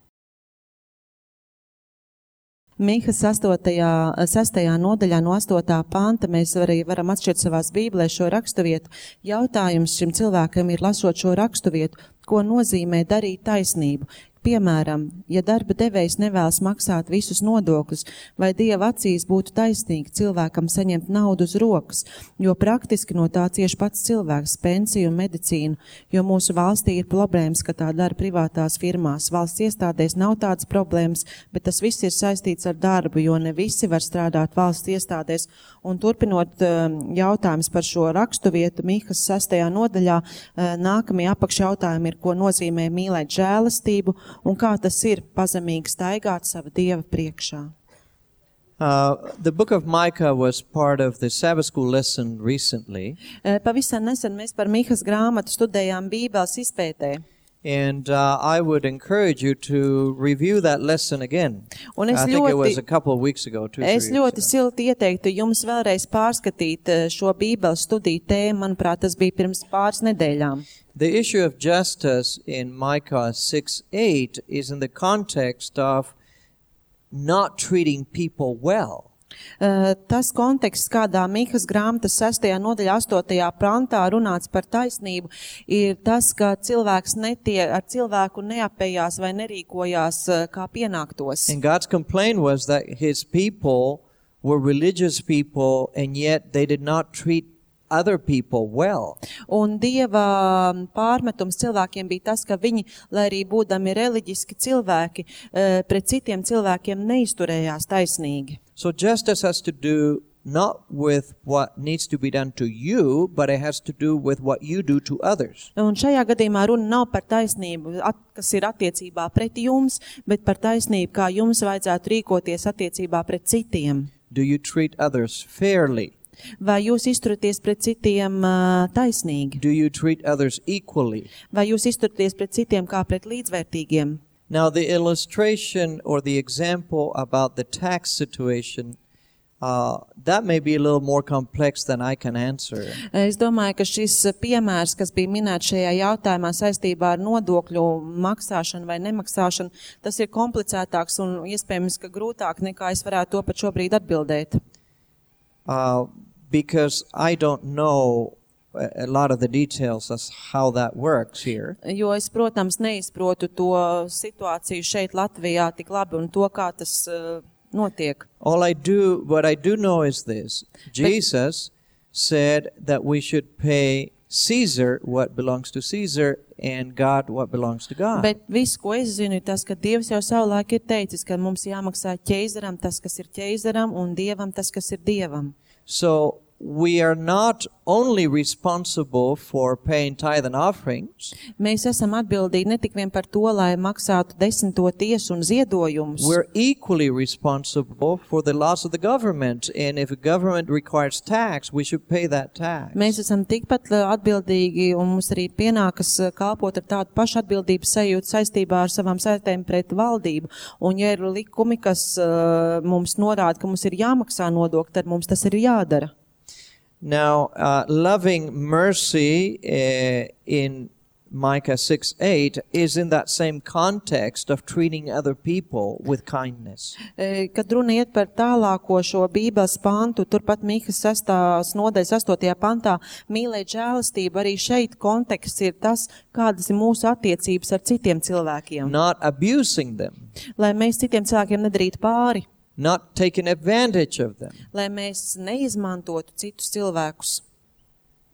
Mīhas sastajā nodaļā no astotā panta mēs arī varam atšķirt savās bībelē šo raksturvietu. Jautājums šim cilvēkam ir, lasot šo raksturvietu, ko nozīmē darīt taisnību. Piemēram, ja darba devējs nevēlas maksāt visus nodokļus, vai Dieva acīs būtu taisnīgi cilvēkam saņemt naudu uz rokas, jo praktiski no tā cieši pats cilvēks, pensiju un medicīnu, jo mūsu valstī ir problēmas, ka tā dara privātās firmās. Valsts iestādēs nav tādas problēmas, bet tas viss ir saistīts ar darbu, jo ne visi var strādāt valsts iestādēs. Un turpinot jautājums par šo raksturvietu Mīhas sastajā nodaļā, nākamie apakšjautājumi ir, ko nozīmē mīlēt žēlastību, un kā tas ir pazemīgi staigāt sava Dieva priekšā. Uh, the book of Micah was part of the Sabbath school lesson recently. Pavisam nesen mēs par Mīhas grāmatu studējām Bībeles izpētē. And uh, I would encourage you to review that lesson again. Un es I think it was ļoti, a couple of weeks ago. Two, es three ļoti weeks ago. silti ieteiktu jums vēlreiz pārskatīt eh, šo bībeles studiju tēmu. Manuprāt, tas bija pirms pāris nedēļām. The issue of justice in Micah six eight is in the context of not treating people well. Uh, tas konteksts, kādā Mīkas grāmatas sestajā nodaļā astotajā pantā runāts par taisnību, ir tas, ka cilvēks netie, ar cilvēku neapējās vai nerīkojās uh, kā pienāktos. And God's complaint was that his people were religious people and yet they did not treat other people well. Un Dieva pārmetums cilvēkiem bija tas, ka viņi, lai arī būdami reliģiski cilvēki, uh, pret citiem cilvēkiem neizturējās taisnīgi. So justice has to do not with what needs to be done to you, but it has to do with what you do to others. Un šajā gadījumā runa nav par taisnību, at, kas ir attiecībā pret jums, bet par taisnību, kā jums vajadzētu rīkoties attiecībā pret citiem. Do you treat others fairly? Vai jūs izturaties pret citiem uh, taisnīgi? Do you treat others equally? Vai jūs izturaties pret citiem kā pret līdzvērtīgiem? Now the illustration or the example about the tax situation, uh, that may be a little more complex than I can answer. Es domāju, ka šis piemērs, kas bija minēts šajā jautājumā saistībā ar nodokļu maksāšanu vai nemaksāšanu, tas ir komplicētāks un iespējams, ka grūtāk nekā es varētu to pat šobrīd atbildēt. Uh, because I don't know a lot of the details as how that works here. Jo es, protams, neizprotu to situāciju šeit Latvijā tik labi un to, kā tas uh, notiek. All I do, what I do know is this. Jesus said that we should pay Caesar what belongs to Caesar and God what belongs to God. Bet viss, ko es zinu, ir tas, ka Dievs jau savulaik ir teicis, ka mums jāmaksā ķeizaram tas, kas ir ķeizaram, un Dievam tas, kas ir Dievam. So we are not only responsible for paying tithe and offerings. Mēs esam atbildīgi ne tik vien par to, lai maksātu desmito tiesu un ziedojumus. We're equally responsible for the loss of the government, and if a government requires tax, we should pay that tax. Mēs esam tikpat atbildīgi, un mums arī pienākas kalpot ar tādu pašu atbildības sajūtu saistībā ar savām saistēm pret valdību. Un ja ir likumi, kas uh, mums norāda, ka mums ir jāmaksā nodokļi, tad mums tas ir jādara. Now, uh, loving mercy uh, in Micah six eight is in that same context of treating other people with kindness. Kad runa iet par tālāko šo Bībeles pantu, turpat Mīkas sestās nodaļas astotajā pantā, mīlēt žēlastību, arī šeit konteksts ir tas, kādas ir mūsu attiecības ar citiem cilvēkiem. Not abusing them. Lai mēs citiem cilvēkiem nedarītu pāri. Not taking advantage of them. Lai mēs neizmantotu citus cilvēkus.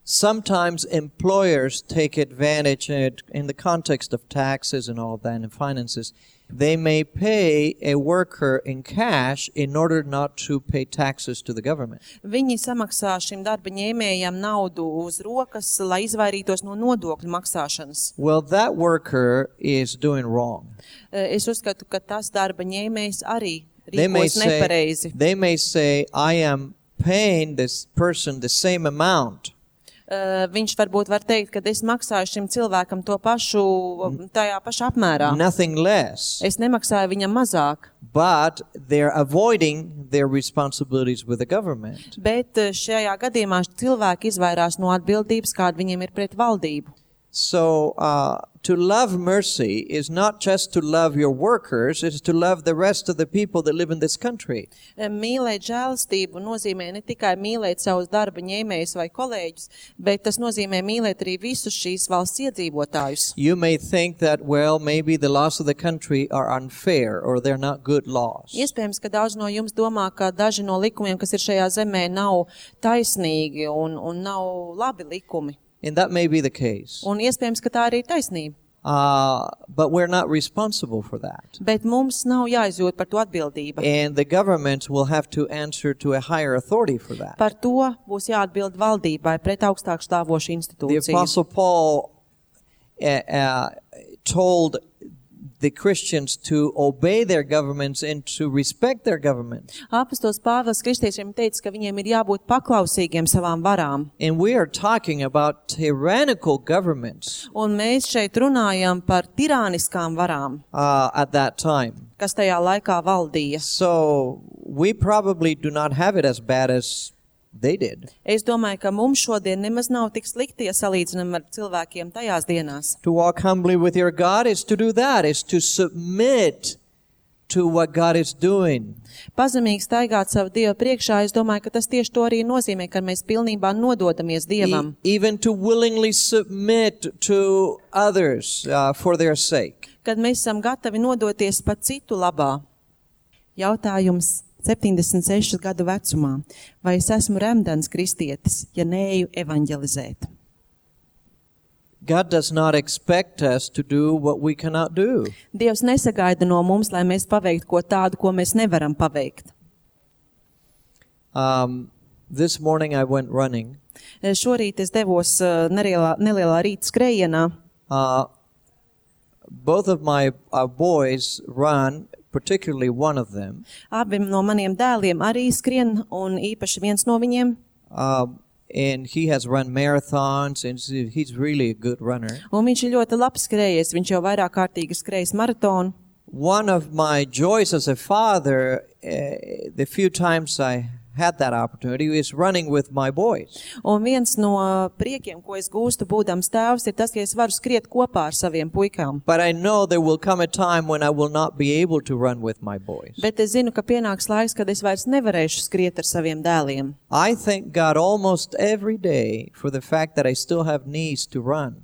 Sometimes employers take advantage in the context of taxes and all of that and finances. They may pay a worker in cash in order not to pay taxes to the government. Viņi samaksā šim darba ņēmējam naudu uz rokas, lai izvairītos no nodokļu maksāšanas. Well, that worker is doing wrong. Es uzskatu, ka tas darba ņēmējs arī They may rīkos nepareizi. say, they may say, I am paying this person the same amount. Uh, viņš varbūt var teikt, ka es maksāju šim cilvēkam to pašu, tajā pašā apmērā. Nothing less. Es nemaksāju viņam mazāk. But they're avoiding their responsibilities with the government. Bet šajā gadījumā cilvēki izvairās no atbildības, kāda viņiem ir pret valdību. So, uh, to love mercy is not just to love your workers, it's to love the rest of the people that live in this country. Mīlēt žēlastību nozīmē ne tikai mīlēt savus darba ņēmējus vai kolēģus, bet tas nozīmē mīlēt arī visus šīs valsts iedzīvotājus. You may think that, well, maybe the laws of the country are unfair or they're not good laws. Iespējams, ka daudz no jums domā, ka daži no likumiem, kas ir šajā zemē, nav taisnīgi un, un nav labi likumi. And that may be the case. Un iespējams, ka tā arī ir taisnība. Uh, but we're not responsible for that. Bet mums nav jāizjūt par to atbildība. And the government will have to answer to a higher authority for that. Par to būs jāatbild valdībai pret augstāk stāvošu The institūciju. Apostle Paul uh, uh, told the Christians to obey their governments and to respect their governments. Apostols Pāvils kristiešiem teica, ka viņiem ir jābūt paklausīgiem savām varām. And we are talking about tyrannical governments Un mēs šeit runājam par tirāniskām varām, uh, at that time. kas tajā laikā valdīja. So we probably do not have it as bad as they did. Es domāju, ka mums šodien nemaz nav tik slikti, ja salīdzinām ar cilvēkiem tajās dienās. To walk humbly with your God is to do that, is to submit to what God is doing. Pazemīgi staigāt savu Dievu priekšā, es domāju, ka tas tieši to arī nozīmē, ka mēs pilnībā nododamies Dievam. E- even to willingly submit to others uh, for their sake. Kad mēs esam gatavi nodoties pat citu labā. Jautājums septiņdesmit sešu gadu vecumā. Vai es esmu remdens kristietis, ja neeju evanģelizēt? God does not expect us to do what we cannot do. Dievs nesagaida no mums, lai mēs paveiktu ko tādu, ko mēs nevaram paveikt. Um, this morning I went running. Šorīt es devos uh, nelielā, nelielā rīta skrējienā. Uh, both of my uh, boys run, particularly one of them. Abi no maniem dēliem arī skrien, un īpaši viens no viņiem. Um, and he has run marathons, and he's really a good runner. Un viņš ir ļoti labs skrējies, viņš jau vairāk kārtīgi skrējis maratonu. One of my joys as a father, uh, the few times I had that opportunity, is running with my boys. Un viens no priekiem, ko es gūstu būdams tēvs, ir tas, ka es varu skriet kopā ar saviem puikām. But I know there will come a time when I will not be able to run with my boys. Bet es zinu, ka pienāks laiks, kad es vairs nevarēšu skriet ar saviem dēliem. I thank God almost every day for the fact that I still have knees to run.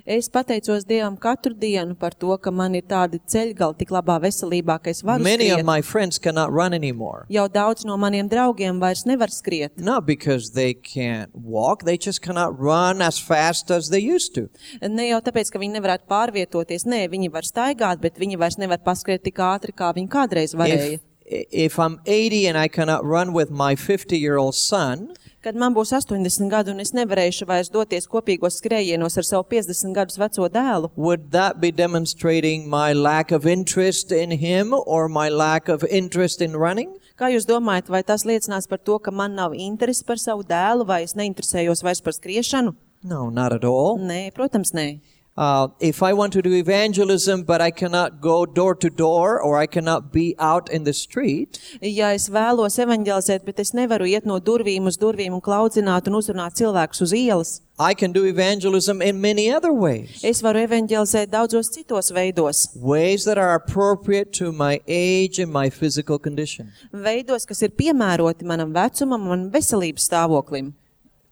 Es pateicos Dievam katru dienu par to, ka man ir tādi ceļgali tik labā veselībā, ka es varu Many of skriet. my friends cannot run anymore. Jau daudz no maniem draugiem vairs nevar skriet. Not because they can't walk, they just cannot run as fast as they used to. Ne jau tāpēc, ka viņi nevarētu pārvietoties, nē, viņi var staigāt, bet viņi vairs nevar paskriet tik ātri, kā viņi kādreiz varēja. If, if I'm eighty and I cannot run with my fifty-year-old son, Kad man būs astoņdesmit gadu un es nevarēšu vairs doties kopīgos skrējienos ar savu piecdesmit gadus veco dēlu, would that be demonstrating my lack of interest in him or my lack of interest in running? kā jūs domājat, vai tas liecinās par to, ka man nav interesi par savu dēlu, vai es neinteresējos vairs par skriešanu? No, not at all. Nē, protams, nē. Uh, if I want to do evangelism, but I cannot go door to door or I cannot be out in the street, Ja es vēlos evaņģelizēt, bet es nevaru iet no durvīm uz durvīm un klaudzināt un uzrunāt cilvēkus uz ielas, I can do evangelism in many other ways. es varu evaņģelizēt daudzos citos veidos. Ways that are appropriate to my age and my physical condition. Veidos, kas ir piemēroti manam vecumam un veselības stāvoklim.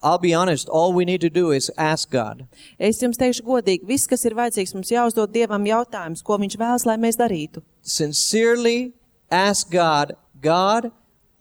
I'll be honest, all we need to do is ask God. Es jums teikšu godīgi, viss, kas ir vajadzīgs, mums jāuzdod Dievam jautājums, ko viņš vēlas, lai mēs darītu. Sincerely ask God, God,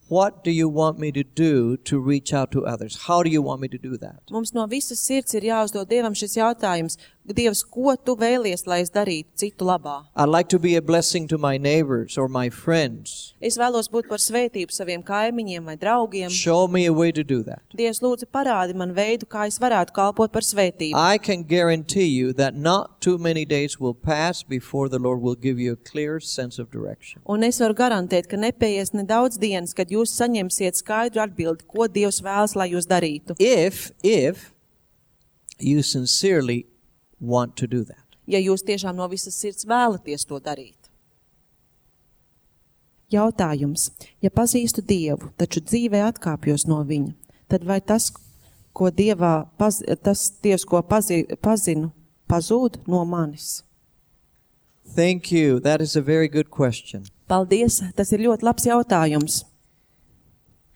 what do you want me to do to reach out to others? How do you want me to do that? Mums no visas sirds ir jāuzdod Dievam šis jautājums. Dievs, ko tu vēlies, lai es darītu citu labā? I'd like to be a blessing to my neighbors or my friends. Es vēlos būt par svētību saviem kaimiņiem vai draugiem. Show me a way to do that. Dievs, lūdzu, parādi man veidu, kā es varētu kalpot par svētību. I can guarantee you that not too many days will pass before the Lord will give you a clear sense of direction. Un es varu garantēt, ka nepaies nedaudz dienas, kad jūs saņemsiet skaidru atbildi, ko Dievs vēlas, lai jūs darītu. If, if you sincerely want to do that. Ja jūs tiešām no visas sirds vēlaties to darīt. Jautājums. Ja pazīstu Dievu, taču dzīvē atkāpjos no viņa, tad vai tas, ko Dievā, paz, tas Dievs, ko pazi, pazinu, pazūd no manis? Thank you. That is a very good question. Paldies, tas ir ļoti labs jautājums.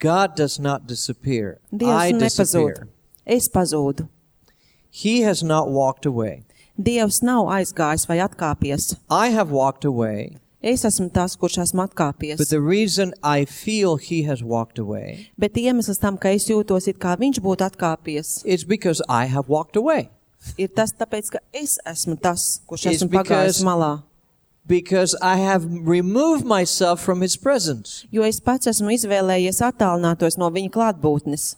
God does not disappear. Dievs I nepazūd. disappear. Es pazūdu. He has not walked away. Dievs nav aizgājis vai atkāpies. I have walked away, Es esmu tas, kurš esmu atkāpies. but the reason I feel he has walked away Bet iemesls tam, ka es jūtos, it kā viņš būtu atkāpies, is because I have walked away. ir tas tāpēc, ka es esmu tas, kurš It's esmu because- pagājis malā. Because I have removed myself from his presence. Jo es pats esmu izvēlējies attālinātos no viņa klātbūtnes.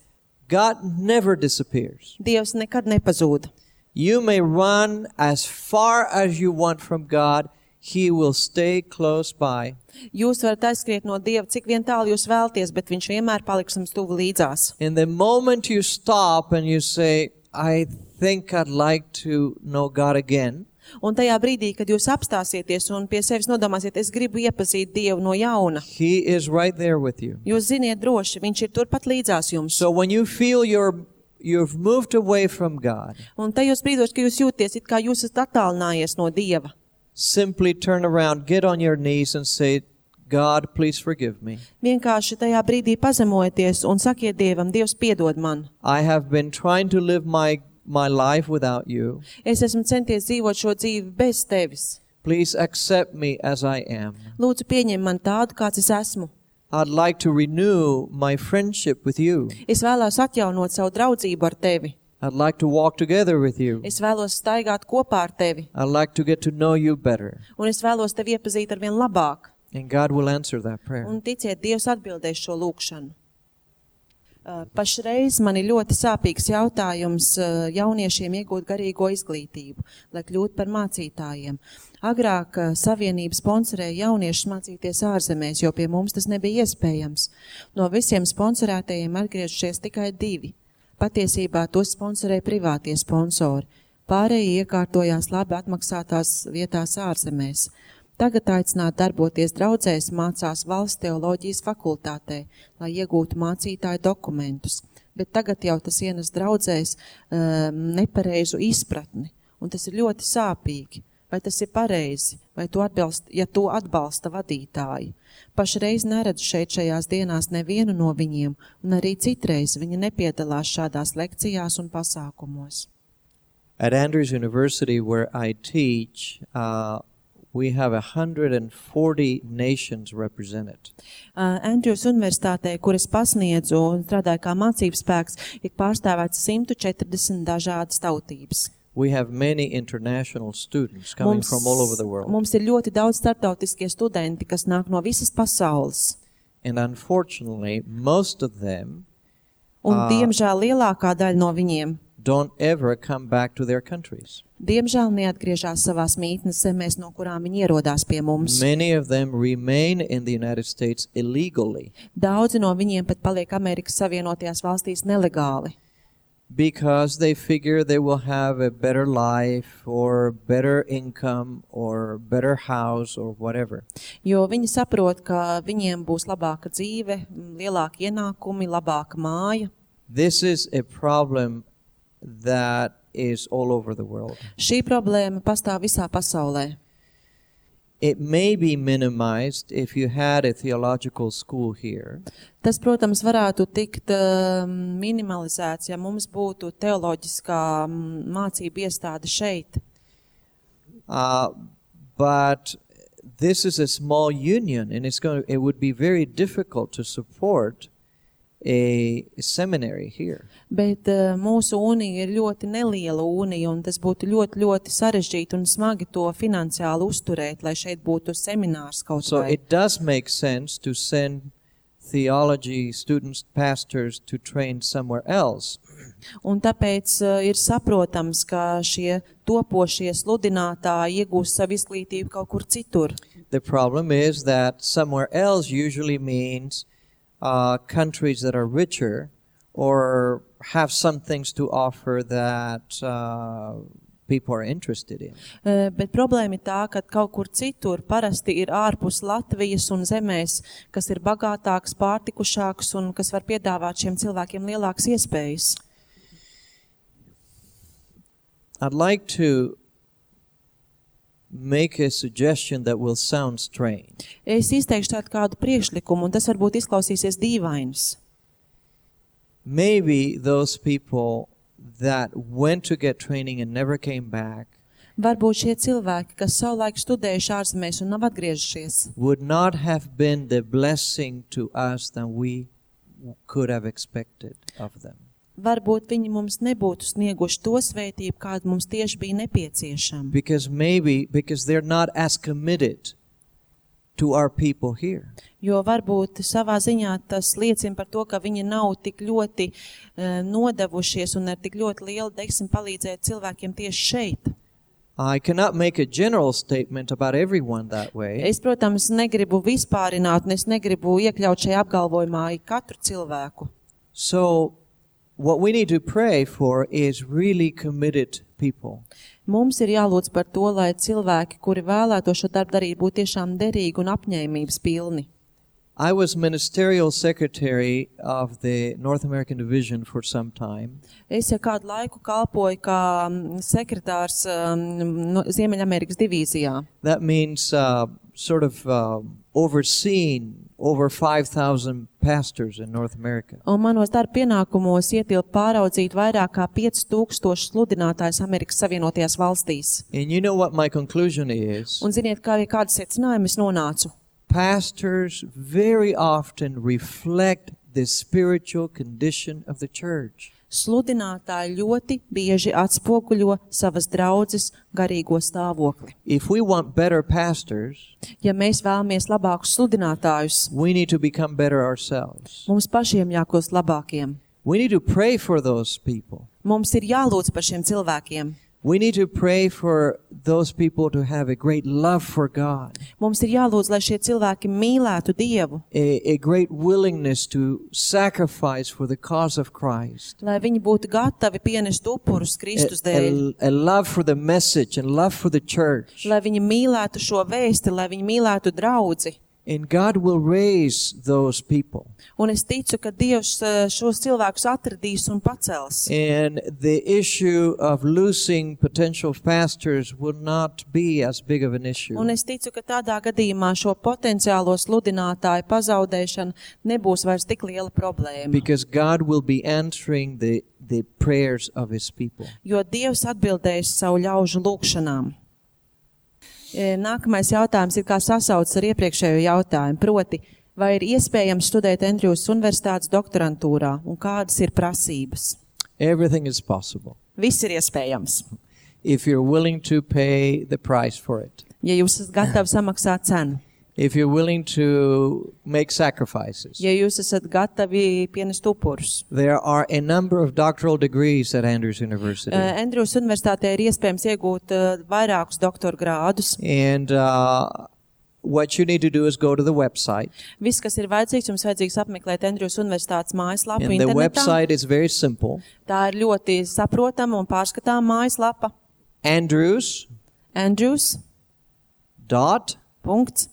God never disappears. Dievs nekad nepazūd. You may run as far as you want from God. He will stay close by. Jūs varat aizskriet no Dieva, cik vien tālu jūs vēlties, bet viņš vienmēr paliks jums tuvu līdzās. In the moment you stop and you say, I think I'd like to know God again, Un tajā brīdī, kad jūs apstāsieties un pie sevis nodomāsiet, es gribu iepazīt Dievu no jauna, He is right there with you. jūs ziniet droši, viņš ir turpat līdzās jums. So when you feel you're, you've moved away from God, Un tajos brīdos, ka jūs jūties, it kā jūs esat attālinājies no Dieva, simply turn around, get on your knees and say, God, please forgive me. vienkārši tajā brīdī pazemojieties un sakiet Dievam, Dievs piedod man. I have been trying to live my, my life without you. Es esmu centies dzīvot šo dzīvi bez tevis. Please accept me as I am. Lūdzu, pieņem man tādu, kāds es esmu. I'd like to renew my friendship with you. Es vēlos atjaunot savu draudzību ar tevi. I'd like to walk together with you. Es vēlos staigāt kopā ar tevi. I'd like to get to know you better. Un es vēlos tevi iepazīt ar vien labāk. And God will answer that prayer. Un ticiet, Dievs atbildēs šo lūkšanu. Uh, Pašreiz man ir ļoti sāpīgs jautājums uh, jauniešiem iegūt garīgo izglītību, lai kļūtu par mācītājiem. Agrāk uh, Savienība sponsorēja jauniešus mācīties ārzemēs, jo pie mums tas nebija iespējams. No visiem sponsorētajiem atgriežušies tikai divi. Patiesībā tos sponsorēja privātie sponsori. Pārējie iekārtojās labi atmaksātās vietās ārzemēs. Tagad aicināt darboties draudzēs mācās valsts teoloģijas fakultātē, lai iegūtu mācītāju dokumentus. Bet tagad jau tas ienes draudzēs um, nepareizu izpratni, un tas ir ļoti sāpīgi. Vai tas ir pareizi, vai to atbalsta, ja to atbalsta vadītāji? Pašreiz neredzu šeit šajās dienās nevienu no viņiem, un arī citreiz viņi nepiedalās šādās lekcijās un pasākumos. At Andrews University, where I teach, uh, we have one hundred forty nations represented. Uh, Andrews Universitātē, kur es pasniedzu un strādāju kā mācības spēks, ir pārstāvēts simt četrdesmit dažādas tautības. We have many international students coming Mums, from all over the world. mums ir ļoti daudz starptautiskie studenti, kas nāk no visas pasaules. And unfortunately, most of them Un, Ah. diemžēl, lielākā daļa no viņiem, don't ever come back to their countries. diemžēl, neatgriežās savās mītnes zemēs, no kurām viņi ierodās pie mums. Many of them remain in the United States illegally Daudzi no viņiem pat paliek Amerikas Savienotajās valstīs nelegāli, because they figure they will have a better life or better income or better house or whatever. jo viņi saprot, ka viņiem būs labāka dzīve, lielāki ienākumi, labāka māja. This is a problem that is all over the world. Šī problēma pastāv visā pasaulē. It may be minimized if you had a theological school here, Tas, protams, varētu tikt uh, minimalizēts, ja mums būtu teoloģiskā mm, mācība iestāde šeit. uh, but this is a small union, and it's going. To, it would be very difficult to support a seminary here. Bet uh, mūsu unija ir ļoti neliela unija, un tas būtu ļoti, ļoti sarežģīti un smagi to finansiāli uzturēt, lai šeit būtu seminārs kaut So vai. it does make sense to send theology students, pastors to train somewhere else. Un tāpēc uh, ir saprotams, ka šie topošie sludinātāji iegūs savu izglītību kaut kur citur. The problem is that somewhere else usually means uh, countries that are richer or have some things to offer that uh, people are interested in. Uh, Bet problēma ir tā, ka kaut kur citur parasti ir ārpus Latvijas un zemēs, kas ir bagātāks, pārtikušāks un kas var piedāvāt šiem cilvēkiem lielākas iespējas. I'd like to make a suggestion that will sound strange. Es izteikšu tādu kādu priekšlikumu, un tas varbūt izklausīsies dīvains. Maybe those people that went to get training and never came back Varbūt šie cilvēki, kas savulaik studējuši ārzemēs un nav atgriežušies, would not have been the blessing to us that we could have expected of them. varbūt viņi mums nebūtu snieguši to svētību, kāda mums tieši bija nepieciešama. Because maybe, because they're not as committed to our people here. Jo varbūt savā ziņā tas liecina par to, ka viņi nav tik ļoti uh, nodevušies un ar tik ļoti lielu deksmi palīdzēt cilvēkiem tieši šeit. I cannot make a general statement about everyone that way. Es, protams, negribu vispārināt, un es negribu iekļaut šajā apgalvojumā katru cilvēku. So, what we need to pray for is really committed people. Mums ir jālūdz par to, lai cilvēki, kuri vēlēto šo darbu darīt, būtu tiešām derīgi un apņēmības pilni. I was ministerial secretary of the North American Division for some time. Es jau kādu laiku kalpoju kā sekretārs um, no Ziemeļamerikas divīzijā. That means uh, sort of uh, overseeing over five thousand pastors in North America. Un manos darba pienākumos ietilp pāraudzīt vairāk kā pieci tūkstoši sludinātājus Amerikas Savienotajās valstīs. And you know what my conclusion is? Un ziniet, kā arī kādu secinājumu es nonācu? Pastors very often reflect the spiritual condition of the church. Sludinātāji ļoti bieži atspoguļo savas draudzes garīgo stāvokli. If we want better pastors, Ja mēs vēlamies labākus sludinātājus, we need to become better ourselves. mums pašiem jākļūst labākiem. We need to pray for those people. Mums ir jālūdz par šiem cilvēkiem. We need to pray for those people to have a great love for God, Mums ir jālūdz, lai šie cilvēki mīlētu Dievu, a, a great willingness to sacrifice for the cause of Christ, lai viņi būtu gatavi pienest upurus a, Kristus dēļ, a, a love for the message and love for the church. lai viņi mīlētu šo vēsti, lai viņi mīlētu draudzi. And God will raise those people. Un es ticu, ka Dievs eh, šos cilvēkus atradīs un pacels. And the issue of losing potential pastors will not be as big of an issue. Un es ticu, ka tādā gadījumā šo potenciālo sludinātāju pazaudēšana nebūs vairs tik liela problēma. Because God will be answering the, the prayers of His people. Jo Dievs atbildēs savu ļaužu lūgšanām. E, Nākamais jautājums ir kā sasaucas ar iepriekšējo jautājumu, proti, vai ir iespējams studēt Andrewsas Universitātes doktorantūrā un kādas ir prasības? Everything is possible Viss ir iespējams, if you're willing to pay the price for it. ja jūs esat gatavi samaksāt cenu, If you're willing to make sacrifices. ja jūs esat gatavi pienest upurus. There are a number of doctoral degrees at Andrews University. E, Andrewsas Universitātē ir iespējams iegūt e, vairākus doktora grādus. And uh, what you need to do is go to the website. Viss, kas ir vajadzīgs, jums vajadzīgs apmeklēt Andrewsas Universitātes mājaslapu And the internetā. website is very simple. Tā ir ļoti saprotama un pārskatām mājaslapa. Andrews Andrews dot punkts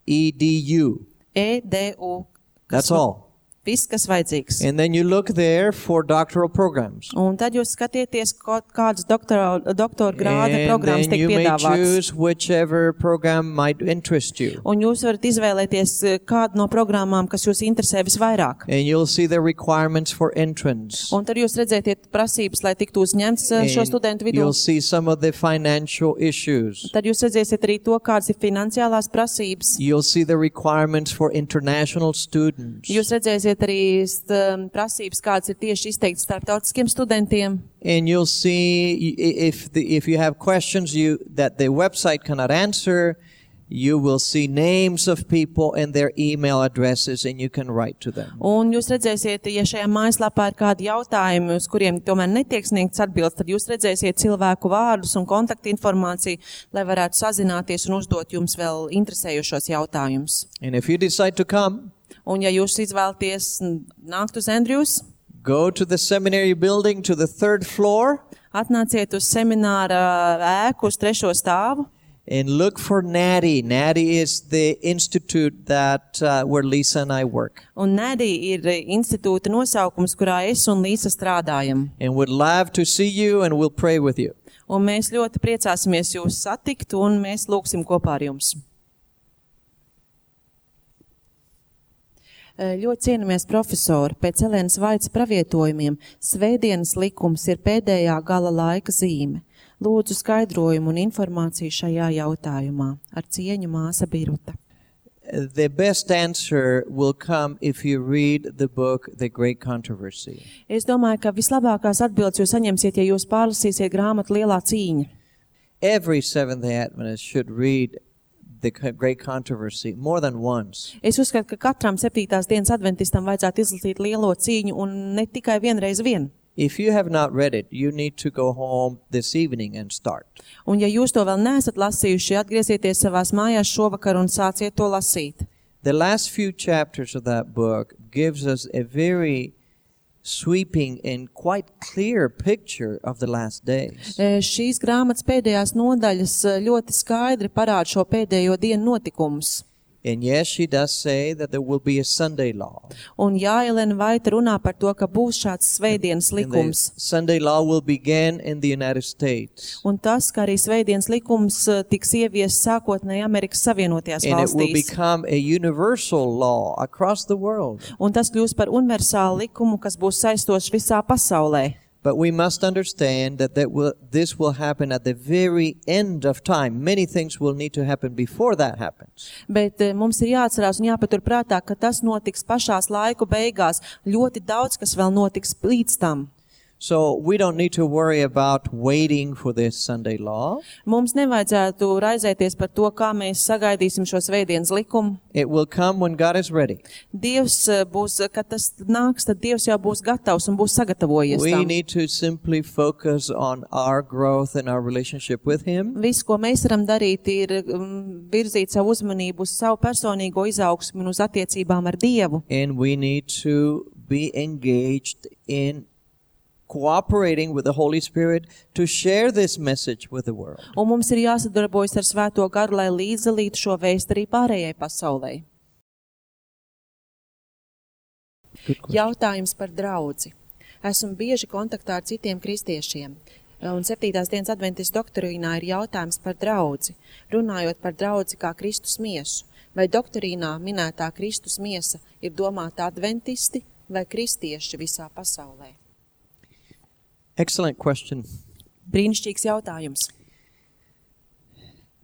edu. E D U. That's all. Viss, kas vajadzīgs. And then you look there for doctoral programs. Un tad jūs skatieties, kaut kādas doktora, doktora grāda And programmas then tiek you may piedāvātas. choose whichever program might interest you. Un jūs varat izvēlēties eh, kādu no programmām, kas jūs interesē visvairāk. And you'll see the requirements for entrance. Un tad jūs redzēsiet prasības, lai tiktu uzņemts eh, šo studentu And vidū. you'll see some of the financial issues. Tad jūs redzēsiet arī to, kādas ir finansiālās prasības. You'll see the requirements for international students. Jūs redzēsiet arī st, prasības, kādas ir tieši izteikts starptautiskiem studentiem. And you'll see i- if the, if you have questions you that the website cannot answer, you will see names of people and their email addresses, and you can write to them. Un jūs redzēsiet, ja šajā mājaslapā ir kādi jautājumi, uz kuriem tomēr netiek sniegts atbildes, tad jūs redzēsiet cilvēku vārdus un kontaktinformāciju, lai varētu sazināties un uzdot jums vēl interesējušos jautājumus. And if you decide to come, Un ja jūs izvēlaties nākt uz Andrews, go to the seminary building to the third floor atnāciet uz semināra ēku uz trešo stāvu and look for Natty. Natty is the institute that uh, where Lisa and I work. un Nedī ir institūta nosaukums, kurā es un Līsa strādājam. And would love to see you, and we'll pray with you. Un mēs ļoti priecāsimies jūs satikt un mēs lūgsim kopā ar jums. Ļoti cienamies profesori, pēc Elēnas Vaits pravietojumiem, svētdienas likums ir pēdējā gala laika zīme. Lūdzu skaidrojumu un informāciju šajā jautājumā. Ar cieņu māsa Biruta. The best answer will come if you read the book, The Great Controversy. Es domāju, ka vislabākās atbildes jūs saņemsiet, ja jūs pārlasīsiet grāmatu Lielā cīņa. Every Seventh-day Adventist should read The Great Controversy more than once. Es uzskatu, ka katram septītās dienas adventistam vajadzētu izlasīt Lielo cīņu un ne tikai vienreiz vien. If you have not read it, you need to go home this evening and start. Un ja jūs to vēl neesat lasījuši, atgriezieties savās mājās šovakar un sāciet to lasīt. The last few chapters of that book gives us a very sweeping and quite clear picture of the last days. E, šīs grāmatas pēdējās nodaļas e, ļoti skaidri parāda šo pēdējo dienu notikumus. And yes, she does say that there will be a Sunday law. Un jā, Elena Vaita runā par to, ka būs šāds svētdienas And the likums. Sunday law will begin in the United States. Un tas, ka arī svētdienas likums e, tiks ieviests sākotnēji Amerikas Savienotajās And it will valstīs. become a universal law across the world. Un tas kļūs par universālu likumu, kas būs saistošs visā pasaulē. But we must understand that, that will, this will happen at the very end of time. Many things will need to happen before that happens. Bet e, mums ir jāatcerās un jāpatur prātā, ka tas notiks pašās laiku beigās. Ļoti daudz, kas vēl notiks līdz tam. So we don't need to worry about waiting for this Sunday law. Mums nevajadzētu raizēties par to, kā mēs sagaidīsim šo svētdienas likumu. It will come when God is ready. Dievs e, būs, kad tas nāks, tad Dievs jau būs gatavs un būs sagatavojies We tam. need to simply focus on our growth and our relationship with Him. Viss, ko mēs varam darīt, ir um, virzīt savu uzmanību uz savu personīgo izaugsmi un uz attiecībām ar Dievu. And we need to be engaged in cooperating with the Holy Spirit to share this message with the world. Un mums ir jāsadarbojas ar Svēto garu, lai līdzdalītu šo vēstu arī pārējai pasaulē. Jautājums par draudzi. Esmu bieži kontaktā ar citiem kristiešiem. Un septītās dienas adventistu doktrīnā ir jautājums par draudzi. Runājot par draudzi kā Kristus miesu. Vai doktrīnā minētā Kristus miesa ir domāta adventisti vai kristieši visā pasaulē? Excellent question. Brīnišķīgs jautājums.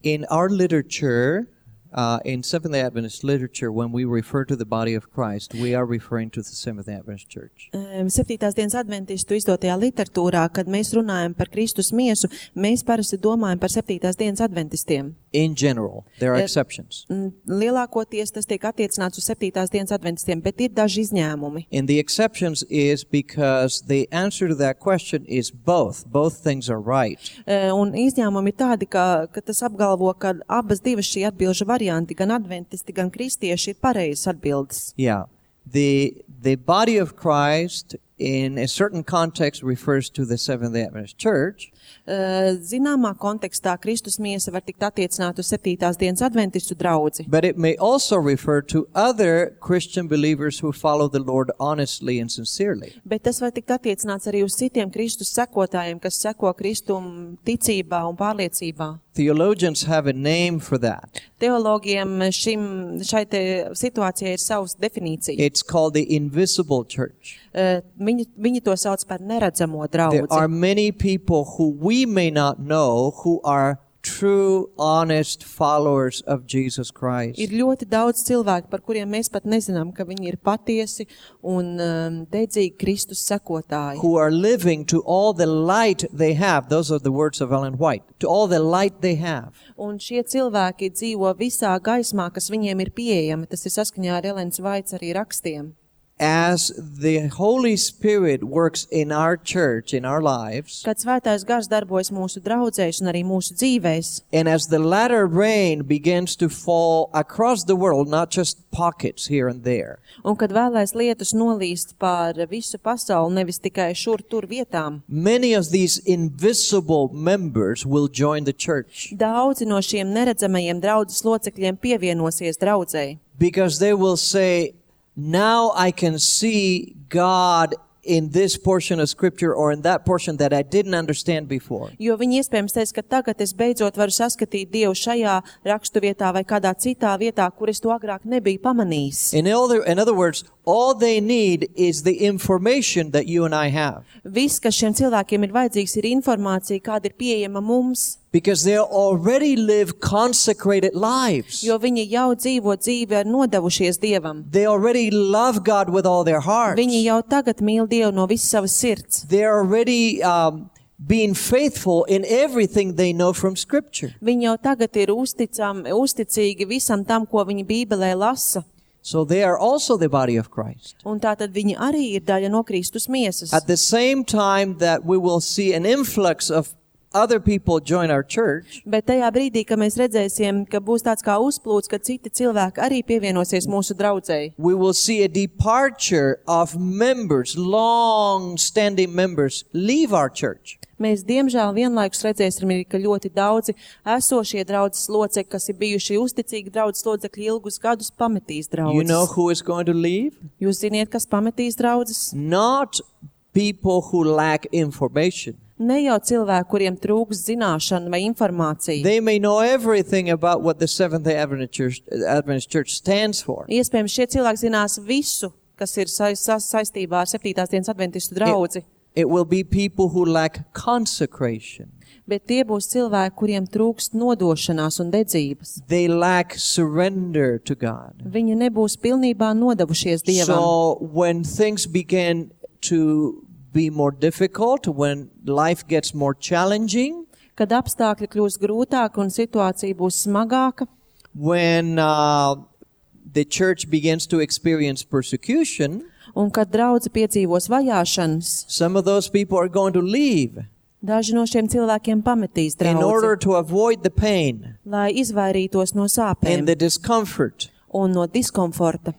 In our literature, uh, in Seventh-day Adventist literature, when we refer to the body of Christ, we are referring to the Seventh-day Adventist Church. Um, septītās dienas adventistu izdotajā literatūrā, kad mēs runājam par Kristus miesu, mēs parasti domājam par septītās dienas adventistiem. In general, there are Eh, exceptions. Mm, Lielākoties tas tiek attiecināts uz septītās dienas adventistiem, bet ir daži izņēmumi. And the exceptions is because the answer to that question is both. Both things are right. E, Un izņēmumi ir tādi, ka, ka tas apgalvo, ka abas divas šī atbilžu varianti, gan adventisti, gan kristieši ir pareizas atbildes. Yeah. The the body of Christ in a certain context refers to the Seventh-day Adventist Church, E, Zināmā kontekstā Kristus miesa var tikt attiecināt uz septītās dienas adventistu draudzi, but it may also refer to other Christian believers who follow the Lord honestly and sincerely. bet tas var tikt attiecināts arī uz citiem Kristus sekotājiem, kas seko Kristum ticībā un pārliecībā. Theologians have a name for that. Teologiem šim, šai te situācijai ir savas definīcija. It's called the invisible church. E, Viņi, viņi to sauc par neredzamo There are draudzi. many people who we may not know who are true, honest followers of Jesus Christ. Ir ļoti daudz cilvēku, par kuriem mēs pat nezinām, ka viņi ir patiesi un um, dedzīgi Kristus sekotāji. Who are living to all the light they have. Those are the words of Ellen White. To all the light they have. Un šie cilvēki dzīvo visā gaismā, kas viņiem ir pieejama. Tas ir saskaņā ar Elens Vaits arī rakstiem. As the Holy Spirit works in our church, in our lives, Kad svētais gars darbojas mūsu draudzēs un arī mūsu dzīvēs, and as the latter rain begins to fall across the world, not just pockets here and there, un kad vēlais lietus nolīst pār visu pasauli, nevis tikai šur tur vietām, many of these invisible members will join the church daudzi no šiem neredzamajiem draudzes locekļiem pievienosies draudzei. because they will say, now I can see God in this portion of scripture or in that portion that I didn't understand before. Jo viņi iespējams teiks, ka tagad es beidzot varu saskatīt Dievu šajā rakstu vietā vai kādā citā vietā, kur es to agrāk nebiju pamanījis. In other, in other words, all they need is the information that you and I have. Viss, kas šiem cilvēkiem ir vajadzīgs, ir informācija, kāda ir pieejama mums, Because they already live consecrated lives. jo viņi jau dzīvo dzīvi ar nodevušies Dievam. They already love God with all their hearts. Viņi jau tagad mīl Dievu no visas savas sirds. They're already um, being faithful in everything they know from Scripture. Viņi jau tagad ir uzticam, uzticīgi visam tam, ko viņi Bībelē lasa. So they are also the body of Christ. Un tātad viņi arī ir daļa no Kristus miesas. At the same time that we will see an influx of other people join our church, Bet tajā brīdī, kad mēs redzēsim, ka būs tāds kā uzplūds, ka citi cilvēki arī pievienosies mūsu draudzei, we will see a departure of members, long-standing members, leave our church. mēs diemžēl vienlaikus redzēsim, ka ļoti daudzi esošie draudzes locekļi, kas ir bijuši uzticīgi draudzes locekļi ilgus gadus, pametīs You know draudzes. who is going to leave? Jūs ziniet, kas pametīs draudzes? Not people who lack information. Ne jau cilvēki, kuriem trūks zināšana vai informācija. They may know everything about what the Seventh-day Adventist Church, Adventist Church stands for. Iespējams, šie cilvēki zinās visu, kas ir sa sa saistībā ar septītās dienas adventistu draudzi, It will be people who lack consecration. bet tie būs cilvēki, kuriem trūkst nodošanās un dedzības. They lack surrender to God. Viņi nebūs pilnībā nodevušies Dievam. So when things begin to be more difficult, when life gets more challenging, Kad apstākļi kļūs grūtāki un situācija būs smagāka, when uh, the church begins to experience persecution, un kad draudze piedzīvos vajāšanas, some of those people are going to leave daži no šiem cilvēkiem pametīs in order draudzi, to avoid the pain lai izvairītos no and sāpēm the discomfort. un no diskomforta.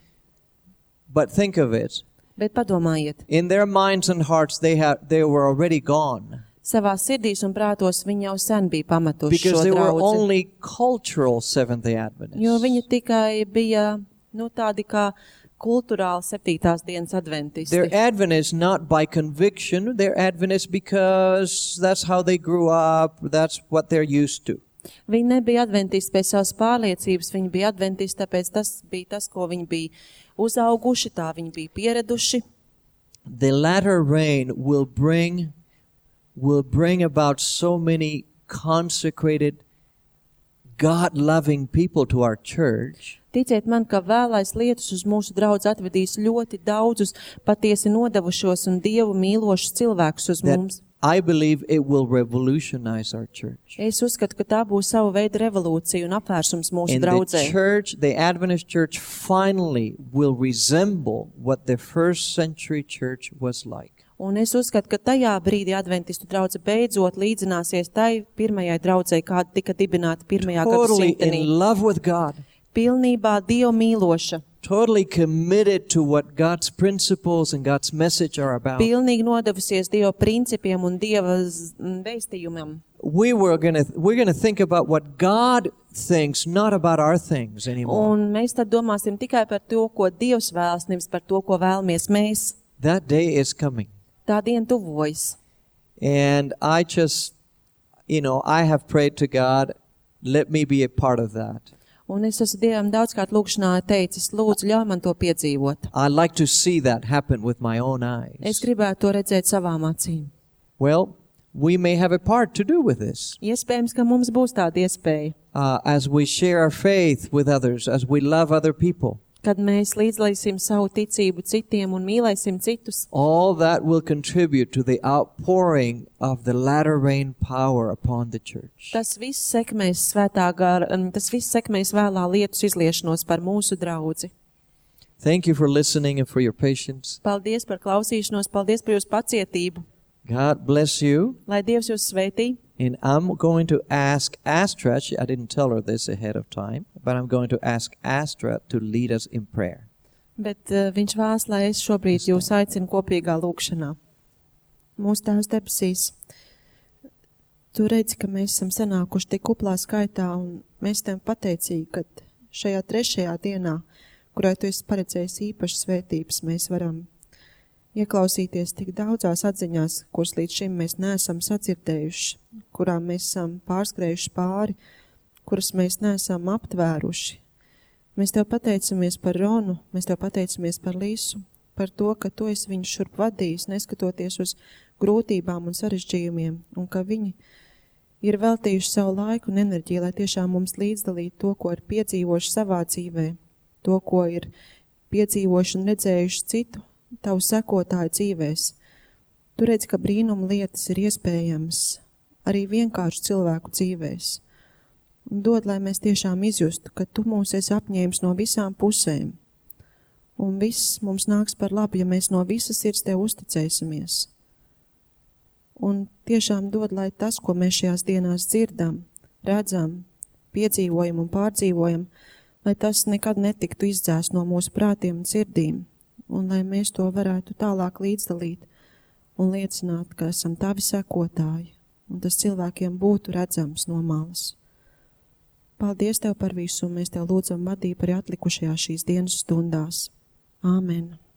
But think of it. Bet padomājiet, In their minds and hearts, they have they were already gone savā sirdīs un prātos viņi jau sen bija pametuši because šo they were draudzi, only cultural Seventh-day Adventists. jo viņi tikai bija, nu, tādi kā kulturāli septītās dienas adventisti. They're Adventists not by conviction. They're Adventists because that's how they grew up. That's what they're used to. Viņi nebija adventisti pēc savas pārliecības, viņi bija adventisti, tāpēc tas bija tas, ko viņi bija uzauguši, tā viņi bija pieraduši. The latter rain will bring will bring about so many consecrated, God-loving people to our church Ticiet man, ka vēlais lietus uz mūsu draudz atvedīs ļoti daudzus patiesi nodevušos un Dievu mīlošus cilvēkus uz that mums. I believe it will revolutionize our church. Es uzskatu, ka tā būs sava veida revolūcija un apvērsums mūsu And the draudzē. church, the Adventist church, finally will resemble what the first century church was like. Un es uzskatu, ka tajā brīdī adventistu draudze beidzot līdzināsies tai pirmajai draudzei, kāda tika dibināta pirmajā Totally gadsimtenī. in love with God. Pilnībā Dievu mīloša, Totally committed to what God's principles and God's message are about. pilnīgi nodevusies Dieva principiem un Dieva z- m, vēstījumam. We were gonna we're gonna think about what God thinks, not about our things anymore. Un mēs tad domāsim tikai par to, ko Dievs vēlas, nevis par to, ko vēlamies mēs. That day is coming. Tā diena tuvojas. And I just, you know, I have prayed to God, let me be a part of that. Un es esmu Dievam daudzkārt lūkšanā teicis, lūdzu, ļauj man to piedzīvot. I'd like to see that happen with my own eyes. Es gribētu to redzēt savām acīm. Well, we may have a part to do with this. Iespējams, ka mums būs tāda iespēja, Uh, as we share our faith with others, as we love other people. kad mēs līdzlaisim savu ticību citiem un mīlēsim citus. All that will contribute to the outpouring of the latter rain power upon the church. Tas viss sekmēs svētā gara, un tas viss sekmēs vēlā lietus izliešanos par mūsu draudzi. Thank you for listening and for your patience. Paldies par klausīšanos, paldies par jūsu pacietību. God bless you. Lai Dievs jūs sveitī. And I'm going to ask Astra, she- I didn't tell her this ahead of time, but I'm going to ask Astra to lead us in prayer. Bet uh, viņš vēlas, lai es šobrīd jūs aicinu kopīgā lūkšanā. Mūsu Tēvs debesīs, tu redzi, ka mēs esam sanākuši tik kuplā skaitā, un mēs tev pateicīgi, ka šajā trešajā dienā, kurā tu esi paredzējis īpašas svētības, mēs varam ieklausīties tik daudzās atziņās, kuras līdz šim mēs neesam sadzirdējuši, kurām mēs esam pārskrējuši pāri, kuras mēs neesam aptvēruši. Mēs tev pateicamies par Ronu, mēs tev pateicamies par Līsu, par to, ka tu esi viņu šurp vadījis, neskatoties uz grūtībām un sarežģījumiem, un ka viņi ir veltījuši savu laiku un enerģiju, lai tiešām mums līdzdalītu to, ko ir piedzīvojuši savā dzīvē, to, ko ir piedzīvojuši un redzējuši citu tavu sekotāju dzīvēs. Tu redzi, ka brīnuma lietas ir iespējamas arī vienkārši cilvēku dzīvēs. Un dod, lai mēs tiešām izjustu, ka tu mūs esi apņēmis no visām pusēm. Un viss mums nāks par labu, ja mēs no visas sirds Tev uzticēsimies. Un tiešām dod, lai tas, ko mēs šajās dienās dzirdam, redzam, piedzīvojam un pārdzīvojam, lai tas nekad netiktu izdzēst no mūsu prātiem un sirdīm, un lai mēs to varētu tālāk līdzdalīt un liecināt, ka esam Tavi sekotāji, un tas cilvēkiem būtu redzams no malas. Paldies Tev par visu, un mēs Tev lūdzam vadību arī atlikušajās šīs dienas stundās. Āmen.